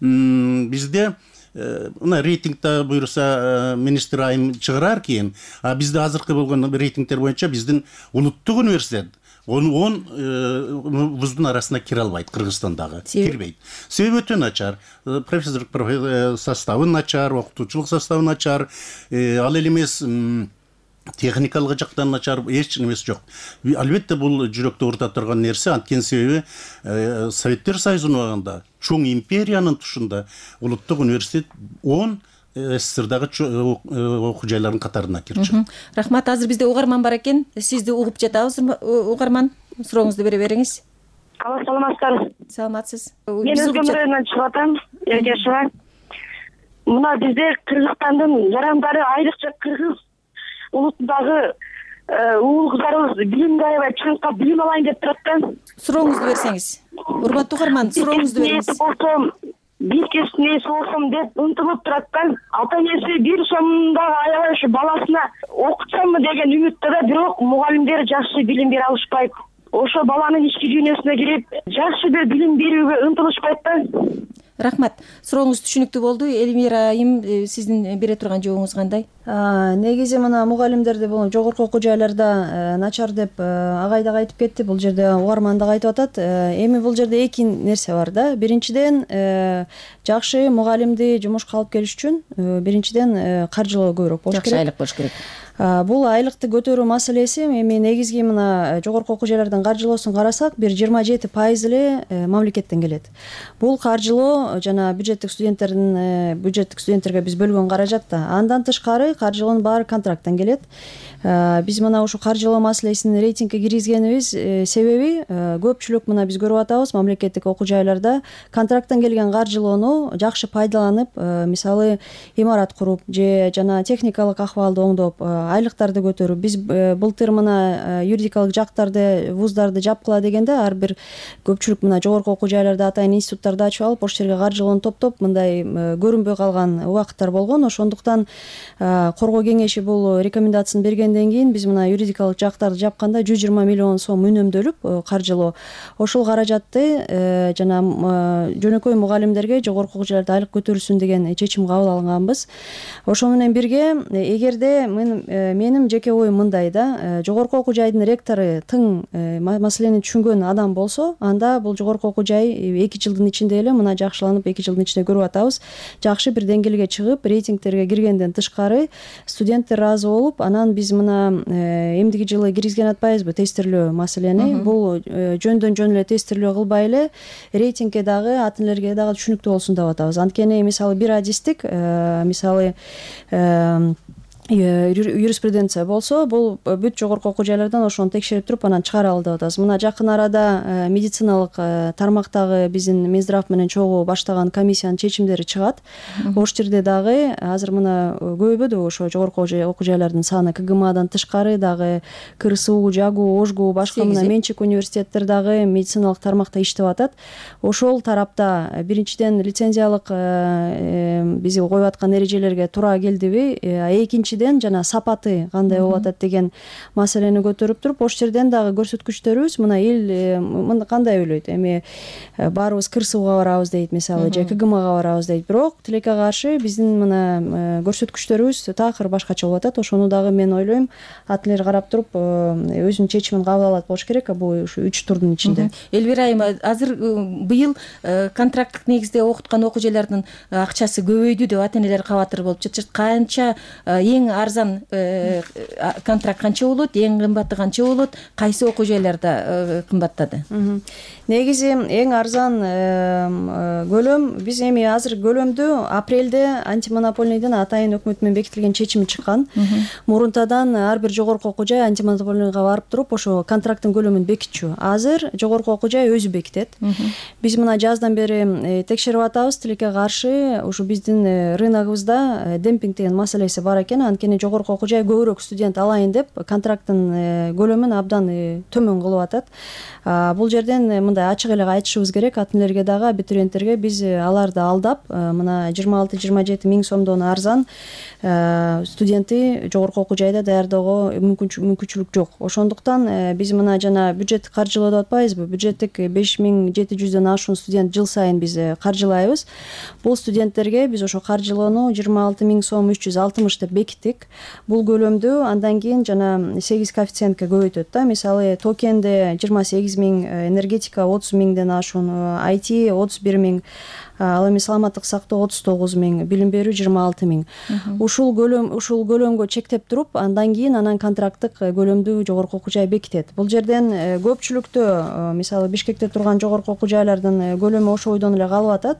бизде мына рейтингде буюрса министр айым чыгарар кийин, бизде азыркы болгон рейтингтер боюнча биздин улуттук университет 10 вуздун арасына кире албайт Кыргызстандагы. Кирбейт. Себеби өтө начар. Профессорлук составы начар, окутуучулук составы начар. Ал эле эмес техникалык жактан начар, эч нерсе жок. Албетте бул жүрөктү оорута турган нерсе. Анткени себеби Советтер Союзунун убагында чоң империянын тушунда улуттук университет 10 СССРдагы окуу жайлардын катарына кирчү. Рахмат. Азыр бизде угарман бар экен. Сизди угуп жатабыз, угарман. Сурооңузду бере бериңиз. Саламатсыздарбы? Саламатсыз. Мен Өзгөм районунан чыгып атам, Эргешова. мына бизде Кыргызстандын жарандары айрыкча кыргыз улутундагы уул кыздарыбыз билимге аябай чаңкап билим алайын деп турат да. Сурооңузду берсеңиз. Урматтуу угарман, сурооңузду бериңиз. Бир кесиптин ээси болсом деп умтулуп турат да. Ата энеси бир сомдо аябай ушу баласына окутсамбы деген үмүттө да, бирок мугалимдер жакшы билим бере алышпайт. Ошо баланын ички дүйнөсүнө кирип, жакшы бир билим берүүгө умтулушпайт да. Рахмат. Сурооңуз түшүнүктүү болду. Элмира айым, сиздин бере турган жообуңуз кандай? Негизи мына мугалимдерди бул жогорку окуу жайларда начар деп агай дагы айтып кетти. Бул жерде угарман дагы айтып атат. Эми бул жерде эки нерсе бар да. Биринчиден, жакшы мугалимди жумушка алып келиш үчүн биринчиден каржылоо көбүрөөк болуш керек. Жакшы айлык болуш керек. Бул айлыкты көтөрүү маселеси эми негизги мына жогорку окуу жайлардын каржылоосун карасак, бир 27% эле мамлекеттен келет. Бул каржылоо жана бюджеттик студенттерге биз бөлгөн каражат да. Андан тышкары каржылоонун баары контракттан келет. Биз мына ушу каржылоо маселесин рейтингге киргизгенибиз себеби көпчүлүк мына биз көрүп атабыз, мамлекеттик окуу жайларда контракттан келген каржылоону жакшы пайдаланып, мисалы имарат куруп же жана техникалык акыбалды оңдоп, айлыктарды көтөрүп, биз былтыр мына юридикалык жактарды, вуздарды жапкыла дегенде ар бир көпчүлүк мына жогорку окуу жайларда атайын институттарды ачып алып, ошол жерге каржылоону топтоп, мындай көрүнбөй калган убакыттар болгон. Ошондуктан коргоо кеңеши бул рекомендациясын бергенден кийин биз мына юридикалык жактарды жапканда 120 миллион сом үнөмдөлүп каржылоо, ошол каражатты жана жөнөкөй мугалимдерге жогорку окуу жайларда айлык көтөрүлсүн деген чечим кабыл алганбыз. Ошол менен бирге, эгерде менин жеке оюм мындай да, жогорку окуу жайдын ректору тың маселени түшүнгөн адам болсо, анда бул жогорку окуу жай 2 жылдын ичинде эле мына жакшыланып, 2 жылдын ичинде көрүп атабыз, жакшы бир деңгээлге чыгып, рейтингтерге киргенден тышкары студенттер ыраазы болуп, анан биз мына эмдиги жылы киргизген атпайбызбы тестирлөө маселени. Бул жөндөн жөн эле тестирлөө кылбай эле рейтингке дагы, ата энелерге дагы түшүнүктүү болсун деп атабыз. Анткени мисалы бир адистик, мисалы юриспруденция болсо, бул бүт жогорку окуу жайлардан ошону текшерип туруп анан чыгаралы деп атабыз. Мына жакын арада медициналык тармактагы биздин Минздрав менен чогуу баштаган комиссиянын чечимдери чыгат. Ошол жерде дагы азыр мына көбөйбөдү ошо жогорку окуу жайлардын саны, КГМАдан тышкары дагы КРСУ, ЖАГУ, ОЖГУ, башка мына менчик университеттер дагы медициналык тармакта иштеп атат. Ошол тарапта биринчиден лицензиялык биз коюп аткан эрежелерге туура келдиби, экинчиден жана сапаты кандай болуп атат деген маселени көтөрүп туруп, ошол жерден дагы көрсөткүчтөрүбүз мына эл кандай ойлойт, эми баарыбыз КРСУга барабыз дейт, мисалы, же КГМАга барабыз дейт, бирок тилекке каршы биздин мына көрсөткүчтөрүбүз такыр башкача болуп атат. Ошону дагы мен ойлойм, ата энелер карап туруп өзүнүн чечимин кабыл алат болуш керек бул ушу 3 турдун ичинде. Элвира айым, азыр быйыл контракттык негизде окуткан окуу жайлардын акчасы көбөйдү деп ата энелер кабатыр болуп жатышат. Канча эң арзан контракт канча болот, эң кымбаты канча болот, кайсы окуу жайларда кымбаттады? Негизи эң арзан көлөм, биз эми азыр көлөмдү апрелде антимонопольныйдын атайын өкмөт менен бекитилген чечими чыккан. Мурунтадан ар бир жогорку окуу жай антимонопольныйга барып туруп ошо контракттын көлөмүн бекитчү. Азыр жогорку окуу жай өзү бекитет. Биз мына жаздан бери текшерип атабыз, тилекке каршы ушу биздин рыногубузда демпинг деген маселеси бар экен. Анткени жогорку окуу жай көбүрөөк студент алайын деп контракттын көлөмүн абдан төмөн кылып атат. Бул жерден мындай ачык эле айтышыбыз керек ата энелерге дагы, абитуриенттерге. Биз аларды алдап, мына 26-27 миң сомдон арзан студентти жогорку окуу жайда даярдоого мүмкүнчүлүк жок. Ошондуктан биз мына жана бюджеттик каржылоо деп атпайбызбы, бюджеттик 5700дөн ашуун студент жыл сайын биз каржылайбыз. Бул студенттерге биз ошо каржылоону 26 миң сом 360 деп бекиттик. Бул көлөмдү андан кийин жана 8 коэффициентке көбөйтөт да. Мисалы токенде 28 миң, энергетика 30 миңден ашуун, IT 31 миң, ал эми саламаттык сактоо 39 миң, билим берүү 26 миң. Ушул көлөмгө чектеп туруп, андан кийин анан контракттык көлөмдү жогорку окуу жай бекитет. Бул жерден көпчүлүктө, мисалы Бишкекте турган жогорку окуу жайлардын көлөмү ошол бойдон эле калып атат.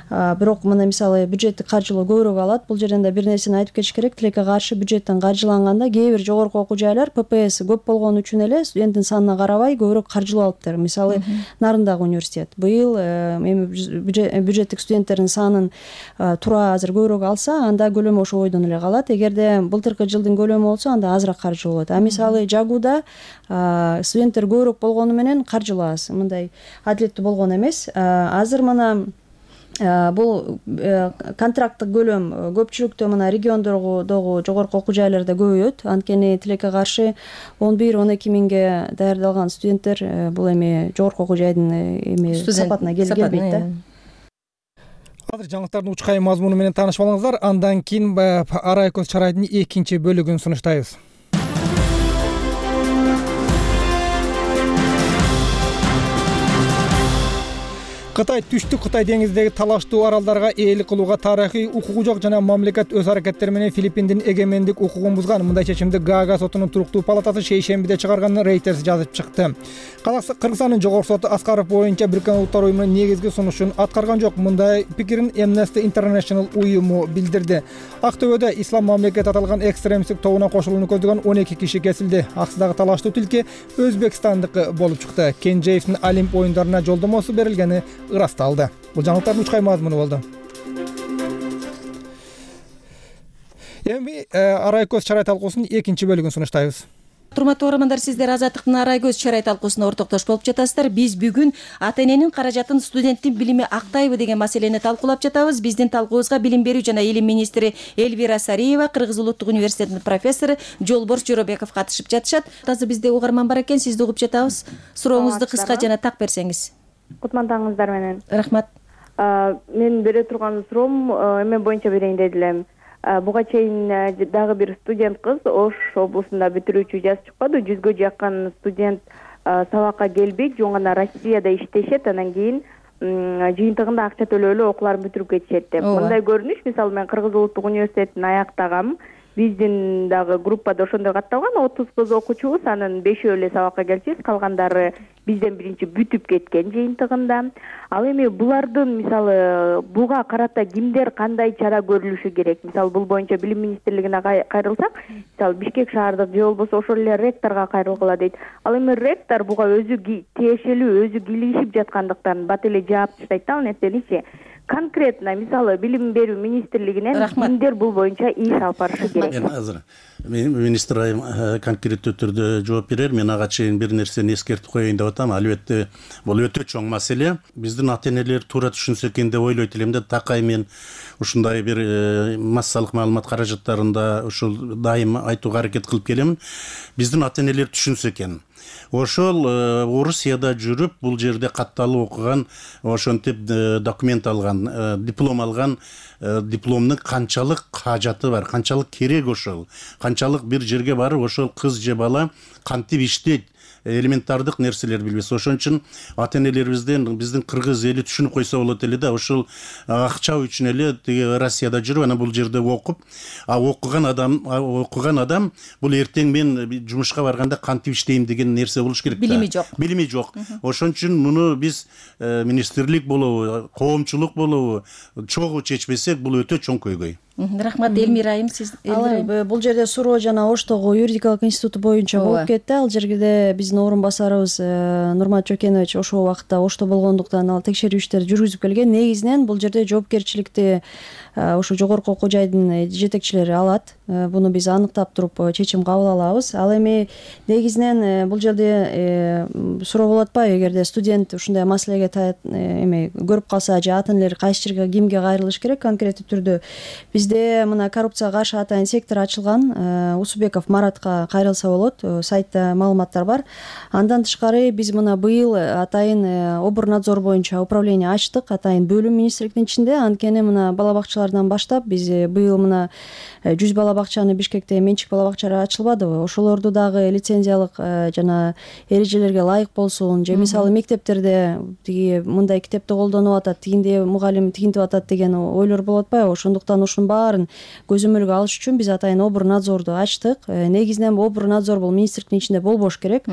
бирок мына мисалы бюджеттик каржылоо көбүрөөк алат. Бул жерден да бир нерсени айтып кетиш керек. Тилекке каршы бюджеттен каржыланганда кээ бир жогорку окуу жайлар ППС көп болгон үчүн эле студенттин санына карабай көбүрөөк каржылоо алыптыр. Мисалы Нарындагы университет быйыл эми бюджеттик студенттердин санын туура азыр көбүрөөк алса, анда көлөмү ошо бойдон эле калат. Эгерде былтыркы жылдын көлөмү болсо, анда азыраак каржылоо болот. А мисалы Жагуда студенттер көбүрөөк болгону менен каржылоо аз, мындай адилеттүү болгон эмес. Азыр мына бул контракттык көлөм көпчүлүктө мына региондогу жогорку окуу жайларда көбөйөт. Анткени тилекке каршы 11-12 миңге даярдалган студенттер бул эми жогорку окуу жайдын сапатына келбейт да. Азыр жаңылыктардын учкай мазмуну менен таанышып алыңыздар. Андан кийин Арай көз чарайдын экинчи бөлүгүн сунуштайбыз. Кытай түштүк Кытай деңизидеги талаштуу аралдарга ээлик кылууга тарыхый укугу жок жана мамлекет өз аракеттери менен Филиппиндин эгемендик укугун бузган. Мындай чечимди Гаага сотунун туруктуу палатасы шейшембиде чыгарганын Reuters жазып чыкты. Кыргызстандын жогорку соту Аскаров боюнча Бириккен Улуттар уюмунун негизги сунушун аткарган жок. Мындай пикирин Amnesty International уюму билдирди. Актөбөдө Ислам мамлекет аталган экстремисттик тобуна кошулууну көздөгөн 12 киши кесилди. Аксыдагы талаштуу тилке Өзбекстандыкы болуп чыкты. Кенжеевдин Олимп оюндарына жолдомосу берилгени ырасталды. Бул жаңылыктардын учкай мазмуну болду. Эми Арай көз чарай талкуусунун экинчи бөлүгүн сунуштайбыз. Урматтуу угармандар, сиздер Азаттыктын Арай көз чарай талкуусуна ортоктош болуп жатасыздар. Биз бүгүн ата-эненин каражатын студенттин билими актайбы деген маселени талкуулап жатабыз. Биздин талкуубузга билим берүү жана илим министри Элвира Сариева, Кыргыз улуттук университетинин профессору Жолборс Жоробеков катышып жатышат. Азыр бизде угарман бар экен, сизди угуп жатабыз. Сурооңузду кыска жана так берсеңиз. Кутмандаңыздар менен. Рахмат. Мен бере турган суроом эме боюнча берейин деди элем. Буга чейин дагы бир студент кыз Ош облусунда бүтүрүүчү жазып чыкпады. 100гө жакын студент сабакка келбейт, жөн гана Россияда иштешет, анан кийин жыйынтыгында акча төлөөлү окууларын бүтүрүп кетишет деп. Мындай көрүнүш, мисалы мен Кыргыз улуттук университетин аяктагам. Биздин дагы группада ошондой катталган 30 кыз окуучубуз, анын 5-өө эле сабакка келчүбүз, калгандары бизден биринчи бүтүп кеткен жыйынтыгында. Ал эми булардын мисалы буга карата кимдер кандай чара көрүлүшү керек? Мисалы бул боюнча билим министрлигине кайрылсак, мисалы Бишкек шаардык же болбосо ошол эле ректорго кайрылгыла дейт. Ал эми ректор буга өзү тиешелүү, өзү кийлигишип жаткандыктан бат эле жаап таштайт да ал нерсени. Конкретно мисалы билим берүү министрлигинен кимдер бул боюнча иш алып барышы керек? Мен азыр министр айым конкреттүү түрдө жооп берер. Мен ага чейин бир нерсени эскертип коеюн деп атам. Албетте бул өтө чоң маселе. Биздин ата-энелер туура түшүнсө экен деп ойлойт элем да. Такай мен ушундай бир массалык маалымат каражаттарында ушул дайым айтууга аракет кылып келемин. Биздин ата-энелер түшүнсө экен. Ошол Орусияда жүрүп, бул жерде катталып окуган, ошентип документ алган, диплом алган, дипломдун канчалык кажаты бар, канчалык керек ошол, канчалык бир жерге барып ошол кыз же бала кантип иштейт, элементардык нерселер билбес. Ошон үчүн ата-энелерибизден биздин кыргыз эли түшүнүп койсо болот эле да, ошол акча үчүн эле тиги Россияда жүрүп, анан бул жерде окуп, окуган адам бул эртең мен жумушка барганда кантип иштейм деген нерсе болуш керек да. Билими жок. Ошон үчүн муну биз министрлик болобу, коомчулук болобу чогуу чечпесек, бул өтө чоң көйгөй. Рахмат. Элмира айым, сиз бул жерде суроо жана Оштогу юридикалык институту боюнча болуп кетти. Ал жерде биздин орун басарыбыз Нурмат Жокенович ошол убакта Ошто болгондуктан ал текшерүү иштерди жүргүзүп келген. Негизинен бул жерде жоопкерчиликти ошо жогорку окуу жайдын жетекчилери алат. Буну биз аныктап туруп чечим кабыл алабыз. Ал эми негизинен бул жерде суроо болуп атпайбы, эгерде студент ушундай маселеге эме көрүп калса же ата-энелер кайсы жерге, кимге кайрылыш керек конкреттүү түрдө? Бизде мына коррупцияга каршы атайын сектор ачылган. Усубеков Маратка кайрылса болот. Сайтта маалыматтар бар. Андан тышкары биз мына быйыл атайын Оборнадзор боюнча управление ачтык, атайын бөлүм министрликтин ичинде. Анткени мына бала бакчалардан баштап биз быйыл мына 100 бала бакчаны Бишкекте менчик бала бакчалары ачылбадыбы? Ошолорду дагы лицензиялык жана эрежелерге ылайык болсун. Же мисалы мектептерде тиги мындай китепти колдонуп атат, тигинде мугалим тигинтип атат деген ойлор болуп атпайбы? Ошондуктан ушунун баарын көзөмөлгө алыш үчүн биз атайын обрнадзорду ачтык. Негизинен обрнадзор бул министрликтин ичинде болбош керек.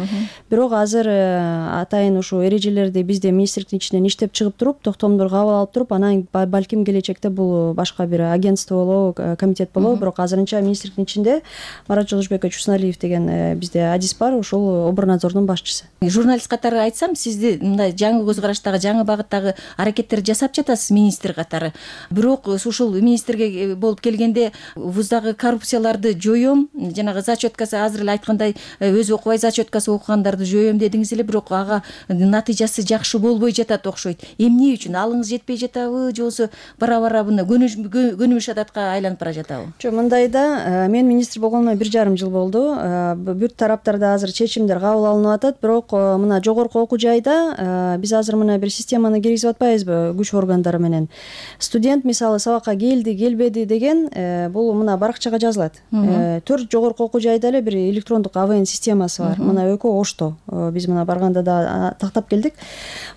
Бирок азыр атайын ушул эрежелерди бизде министрликтин ичинен иштеп чыгып туруп, токтомдор кабыл алып туруп, анан балким келечекте бул башка бир агентство болобу, комитет болобу, бирок азырынча министрликтин ичинде Марат Жолдошбекович Усналиев деген бизде адис бар, ушул обрнадзордун башчысы. Журналист катары айтсам, сизди мындай жаңы көз караштагы, жаңы багыттагы аракеттерди жасап жатасыз министр катары. Бирок ушул министрге болуп келгенде вуздагы коррупцияларды жоём, жанагы зачеткасы азыр эле айткандай өзү окубай зачеткасы окугандарды жоём дедиңиз эле, бирок ага натыйжасы жакшы болбой жатат окшойт. Эмне үчүн? Алыңыз жетпей жатабы, же болбосо бара-бара буну көнүмүш адатка айланып бара жатабы? Жок, мындайда мен министр болгонума 1,5 жыл болду. Бүт тараптарда азыр чечимдер кабыл алынып атат, бирок мына жогорку окуу жайда биз азыр мына бир системаны киргизип атпайбызбы күч органдары менен. Студент мисалы сабакка келди, келбеди деген бул мына баракчага жазылат. 4 жогорку окуу жайда эле бир электрондук АВН системасы бар. Мына ÖKO Ошто биз мына барганда да тактап келдик.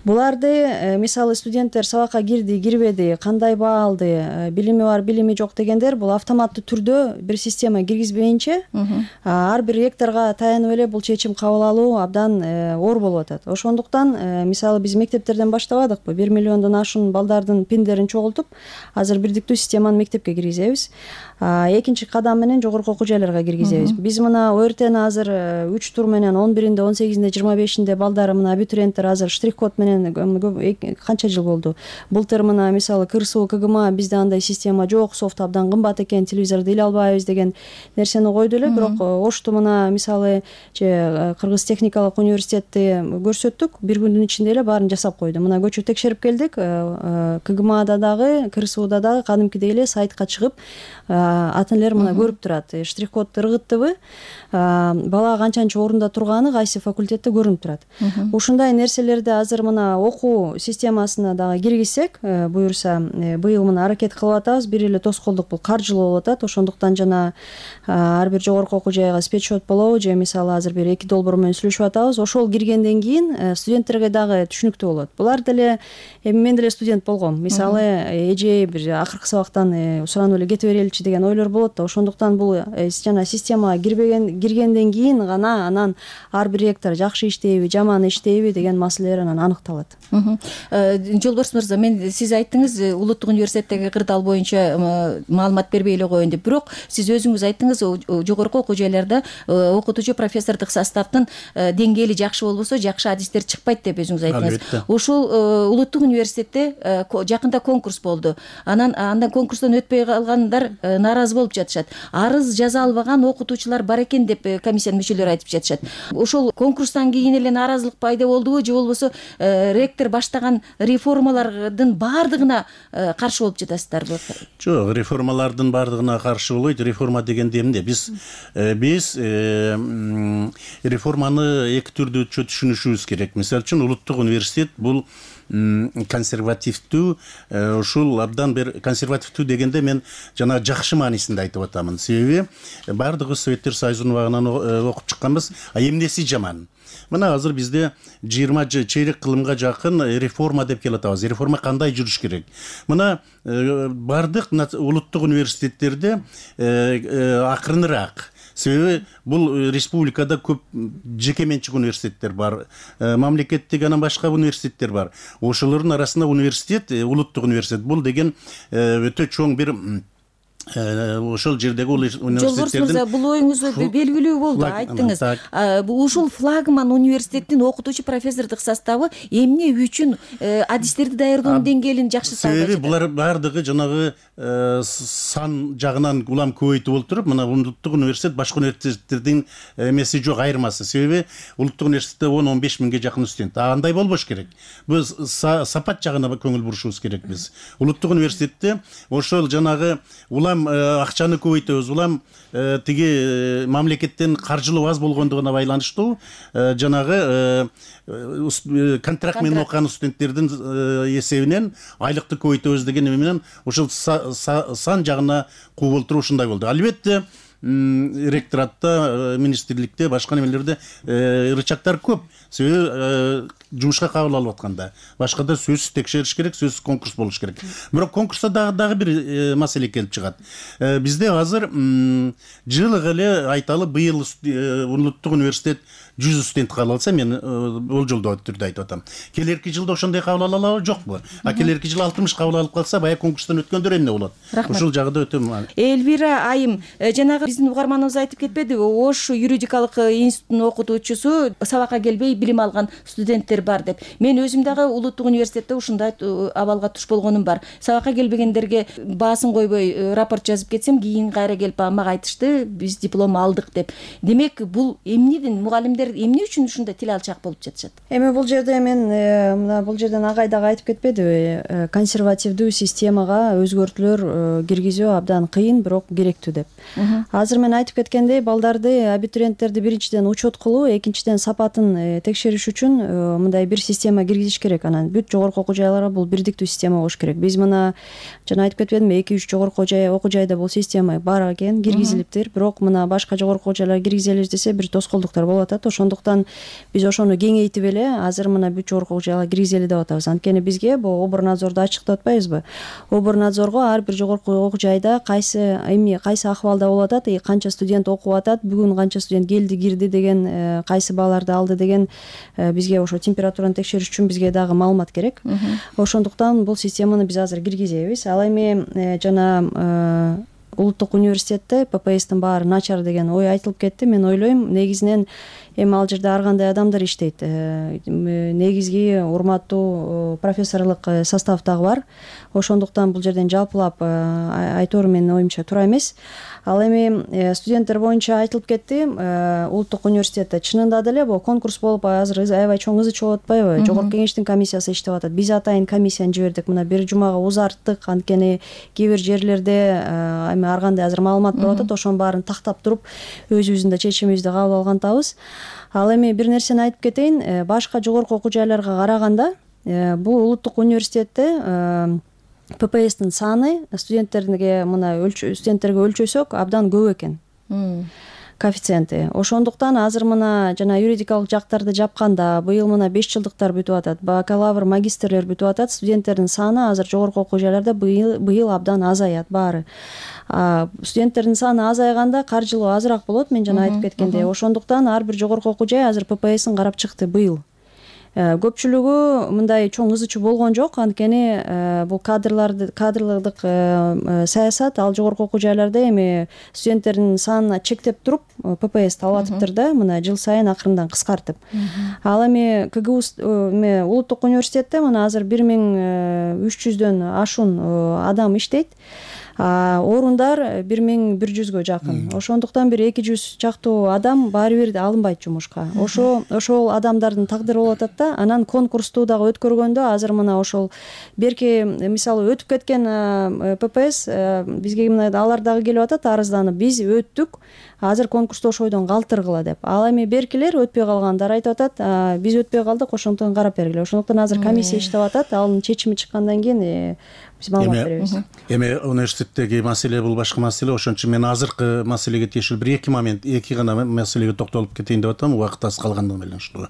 Буларды мисалы студенттер сабакка кирди, кирбеди, кандай баа алды, билими бар, билими жок дегендер бул автоматтуу түрдө бир система киргизбейинче ар бир ректорго таянып эле бул чечим кабыл алуу абдан оор болуп атат. Ошондуктан мисалы биз мектептерден баштабадыкпы, 1 миллиондон ашуун балдардын пиндерин чогултуп, азыр бирдиктүү системаны мектепке киргизебиз. Экинчи кадам менен жогорку окуу жайларга киргизебиз. Биз мына ОРТны азыр 3 тур менен 11-inde, 18-inde, 25-inde балдары мына абитуриенттер азыр штрих-код менен канча жыл болду. Былтыр мына мисалы КырСУ, КГМА бизде андай система жок, софт абдан кымбат экен, телевизорду иле албайбыз деген нерсени койду эле. Бирок Ошту мына мисалы Кыргыз техникалык университетти көрсөттүк, бир күндүн ичинде эле баарын жасап койду. Мына көчүп текшерип келдик. КГМАда дагы, КырСУда дагы кадимкидей эле сайтка чыгып ата энелер мына көрүп турат. Штрих-кодду ыргыттыбы, бала канчанчы орунда турганы кайсы факультетте көрүнүп турат. Ушундай нерселерди азыр мына окуу системасына дагы киргизсек, буюрса быйыл мына аракет кылып атабыз. Бир эле тоскоолдук бул каржылоо болуп атат. Ошондуктан жана ар бир жогорку окуу жайга спецсчет болобу, же мисалы азыр бир 2 долбоор менен сүйлөшүп атабыз. Ошол киргенден кийин студенттерге дагы түшүнүктүү болот. Булар деле мен деле студент болгом. Мисалы эже бир акыркы сабактан суранып эле кете береличи деген ойлор болот да. Ошондуктан бул жана системага киргенден кийин гана анан ар бир ректор жакшы иштейби, жаман иштейби деген маселелер анан аныкталат. Жолборс мырза, мен сиз айттыңыз улуттук университеттеги кырдаал боюнча маалымат бербей эле коеюн деп. Бирок сиз өзүңүз айттыңыз жогорку окуу жайларда окутуучу профессордук составдын деңгээли жакшы болбосо жакшы адистер чыкпайт деп өзүңүз айттыңыз. Ушул улуттук университетте жакында конкурс болду. Андан конкурстон өтпөй калгандар нааразы болуп жатышат. Арыз жаза албаган окутуучулар бар экен деп комиссиянын мүчөлөрү айтып жатышат. Ошол конкурстан кийин эле нааразылык пайда болдубу, же болбосо ректор баштаган реформалардын баардыгына каршы болуп жатасыздарбы? Жок, реформалардын баардыгына каршы болбойт. Реформа дегенде эмне? Биз реформаны эки түрдүү түшүнүшүбүз керек. Мисалы үчүн улуттук университет бул консервативдүү, ушул абдан бир консервативдүү дегенде мен жана жакшы маанисинде айтып атамын. Себеби баардыгы Советтер Союзунун убагынан окуп чыкканбыз, а эмнеси жаман? Мына азыр бизде 20 чейрек кылымга жакын реформа деп келатабыз. Реформа кандай жүрүш керек? Мына баардык улуттук университеттерде акырыныраак. Себеби бул республикада көп жеке менчик университеттер бар, мамлекеттик анан башка университеттер бар. Ошолордун арасында университет, улуттук университет бул деген өтө чоң бир ошол жердеги университеттердин бул оюңуз белгилүү болду, айттыңыз. Ушул флагман университеттин окутуучу профессордук составы эмне үчүн адистерди даярдоонун деңгээлин жакшырта албайт? Себеби булар баардыгы жанагы сан жагынан улам көбөйтүп олтуруп, мына улуттук университет башка университеттердин эмеси жок, айырмасы. Себеби улуттук университетте 10-15 миңге жакын студент. Андай болбош керек. Биз сапат жагына көңүл бурушубуз керек биз. Улуттук университетте ошол жанагы улам акчаны көбөйтөбүз, улам тиги мамлекеттен каржылоо аз болгондугуна байланыштуу жанагы контракт менен окуган студенттердин эсебинен айлыкты көбөйтөбүз деген эме менен ошол сан жагына кууп олтуруп ушундай болду. Албетте ректоратта, министрликте, башка немелерде рычагдар көп. Себеби жумушка кабыл алып атканда башкада сөзсүз текшериш керек, сөзсүз конкурс болуш керек. Бирок конкурста дагы бир маселе келип чыгат. Бизде азыр жылыга эле айталы, быйыл улуттук университет 100 студент кабыл алса, мен болжолдоо түрдө айтып атам. Келерки жылда ошондой кабыл ала алабы, жокпу? Келерки жыл 60 кабыл алып калса, баягы конкурстан өткөндөр эмне болот? Ушул жагы өтө Элвира айым, жанагы биздин угарманыбыз айтып кетпедиби? Ош юридикалык институтунун окутуучусу, сабакка келбей билим алган студенттер бар деп. Мен өзүм дагы улуттук университетте ушундай абалга туш болгонум бар. Сабакка келбегендерге баасын койбой рапорт жазып кетсем, кийин кайра келип мага айтышты, биз диплом алдык деп. Демек, бул эмнеден мугалимдер эмне үчүн ушундай тил алчак болуп жатышат? Эми бул жерде мен мына бул жерден агай дагы айтып кетпедиби? Консервативдүү системага өзгөртүүлөр киргизүү абдан кыйын, бирок керектүү деп. Азыр мен айтып кеткендей, балдарды, абитуриенттерди биринчиден учет кылуу, экинчиден сапатын текшериш үчүн мындай бир система киргизиш керек. Анан бүт жогорку окуу жайларга бул бирдиктүү система болуш керек. Биз мына жана айтып кетпедимби, 2-3 жогорку окуу жайда бул система бар экен, киргизилиптир. Бирок мына башка жогорку окуу жайларга киргизелиш десе, бир тоскоолдуктар болуп атат. Ошондуктан биз ошону кеңейтип эле азыр мына бүт жогорку окуу жайга киргизели деп атабыз. Анткени бизге бул оборнадзорду ачыктап атпайбызбы? Оборнадзорго ар бир жогорку окуу жайда кайсы акыбалда болуп атат, канча студент окуп атат, бүгүн канча студент келди, кирди деген, кайсы бааларды алды деген бизге ошо температураны текшериш үчүн бизге дагы маалымат керек. Ошондуктан бул системаны биз азыр киргизебиз. Ал эми жана улуттук университетте ППСтин баары начар деген ой айтылып кетти. Мен ойлойм, негизинен эми ал жерде ар кандай адамдар иштейт. Негизги урматтуу профессорлук состав дагы бар. Ошондуктан бул жерден жалпылап айтоор менин оюмча туура эмес. Ал эми студенттер боюнча айтылып кетти. Улуттук университетте чынында деле бул конкурс болуп азыр аябай чоң ызы чыгып атпайбы? Жогорку кеңештин комиссиясы иштеп атат. Биз атайын комиссияны жибердик. Мына бир жумага узарттык. Анткени кээ бир жерлерде эми ар кандай азыр маалымат болуп атат. Ошонун баарын тактап туруп өзүбүздүн да чечимибизди кабыл алган атабыз. Ал эми бир нерсени айтып кетейин. Башка жогорку окуу жайларга караганда бул улуттук университетте ППСтин саны студенттерге өлчөсөк абдан көп экен. Коэффициенти. Ошондуктан азыр мына жана юридикалык жактарды жапканда быйыл мына 5 жылдыктар бүтүп атат, бакалавр, магистрлер бүтүп атат. Студенттердин саны азыр жогорку окуу жайларда быйыл абдан азаят баары. Студенттердин саны азайганда каржылоо азыраак болот, мен жана айтып кеткендей. Ошондуктан ар бир жогорку окуу жай азыр ППСин карап чыкты быйыл. Көпчүлүгү мындай чоң ызы чуу болгон жок. Анткени бул кадрлык саясат ал жогорку окуу жайларда эми студенттердин санын чектеп туруп ППСти алып атыптыр да, мына жыл сайын акырындан кыскартып. Ал эми КГУ улуттук университетте мына азыр 1300дөн ашуун адам иштейт. Орундар 1100гө жакын. Ошондуктан бир 200 чактуу адам баары бир алынбайт жумушка. Ошол адамдардын тагдыры болуп атат да. Анан конкурсту дагы өткөргөндө азыр мына ошол берки мисалы өтүп кеткен ППС бизге мына алар дагы келип атат арызданып, биз өттүк, азыр конкурсту ошойдон калтыргыла деп. Ал эми беркилер өтпөй калгандар айтып атат, биз өтпөй калдык, ошондуктан карап бергиле. Ошондуктан азыр комиссия иштеп атат, анын чечими чыккандан кийин биз маалымат беребиз. Эми университеттеги маселе бул башка маселе. Ошон үчүн мен азыркы маселеге тиешелүү бир эки гана маселеге токтолуп кетейин деп атам, убакыт аз калгандыгы менен ушу.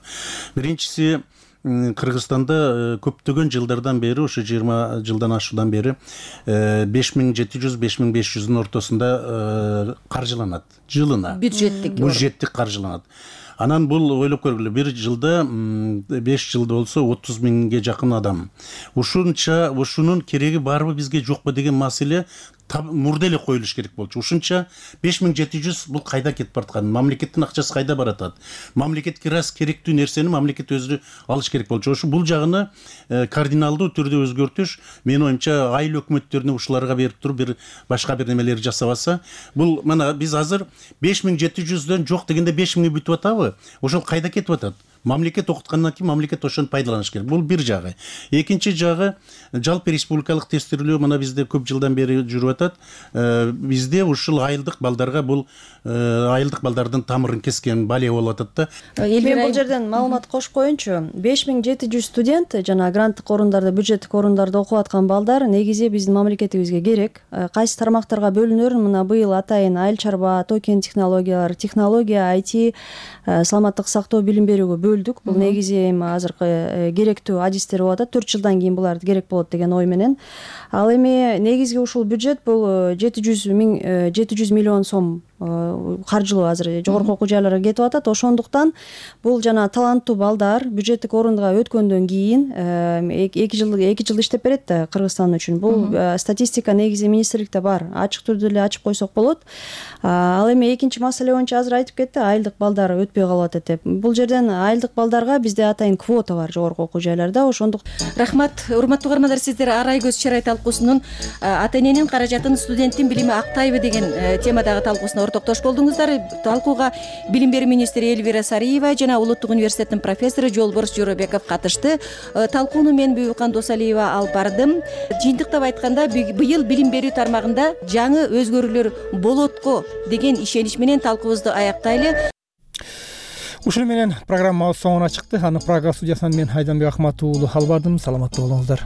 Биринчиси, Кыргызстанда көптөгөн жылдардан бери, ушу 20 жылдан ашуудан бери 5700-5500 ортосунда каржыланат жылына. Бюджеттик каржыланат. Анан бул ойлоп көргүлө, бир жылда 5 жылда болсо 30 миңге жакын адам. Ушунун кереги барбы бизге жокпу деген маселе мурда эле коюлуш керек болчу. Ушунча 5700 бул кайда кетип бараткан? Мамлекеттин акчасы кайда баратат? Мамлекетке раз керектүү нерсени мамлекет өзү алыш керек болчу. Ошо бул жагыны кардиналдуу түрдө өзгөртүш, менин оюмча айыл өкмөттөрүнө ушуларга берип туруп бир башка бир немелер жасабаса, бул мына биз азыр 5700дөн жок дегенде 5000 бүтүп атабы? Ошол кайда кетип атат? мамлекет окуткандан кийин мамлекет ошону пайдаланыш керек. Бул бир жагы. Экинчи жагы жалпы республикалык тестирлөө мына бизде көп жылдан бери жүрүп атат. Бизде ушул айылдык балдарга бул айылдык балдардын тамырын кескен балия болуп атат да. Мен бул жерден маалымат кошуп коеюнчу. 5700 студент жана гранттык орундарда, бюджеттик орундарда окуп аткан балдар негизи биздин мамлекетибизге керек. Кайсы тармактарга бөлүнөрүн мына быйыл атайын айыл чарба, токен технологиялар, технология, IT, саламаттык сактоо, билим берүүгө бөлдүк. Бул негизи эми азыркы керектүү адистер болуп атат. 4 жылдан кийин булар керек болот деген ой менен. Ал эми негизги ушул бюджет бул 700 миллион сом каржылуу азыр жогорку окуу жайларга кетип атат. Ошондуктан бул жана таланттуу балдар бюджеттик орунга өткөндөн кийин 2 жыл иштеп берет да Кыргызстан үчүн. Бул статистика негизи министрликте бар. Ачык түрдө эле ачып койсок болот. Ал эми экинчи маселе боюнча азыр айтып кетти, айылдык балдар өтпөй калып атат деп. Бул жерден айылдык балдарга бизде атайын квота бар жогорку окуу жайларда. Ошондук рахмат. Урматтуу угармандар, сиздер Арай көз чарай талкуусунун ата эненин каражатын студенттин билими актайбы деген темадагы талкуусуна ортоктош болдуңуздар. Талкууга билим берүү министри Элвира Сариева жана Улуттук университеттин профессору Жолборс Жоробеков катышты. Талкууну мен Бүбүкан Досалиева алып бардым. Жыйынтыктап айтканда, быйыл билим берүү тармагында жаңы өзгөрүүлөр болотко деген ишенич менен талкуубузду аяктайлы. Ушуну менен программабыз соңуна чыкты. Аны Прага студиясынан мен Айданбек Ахматов уулу алып бардым. Саламаттуу болуңуздар.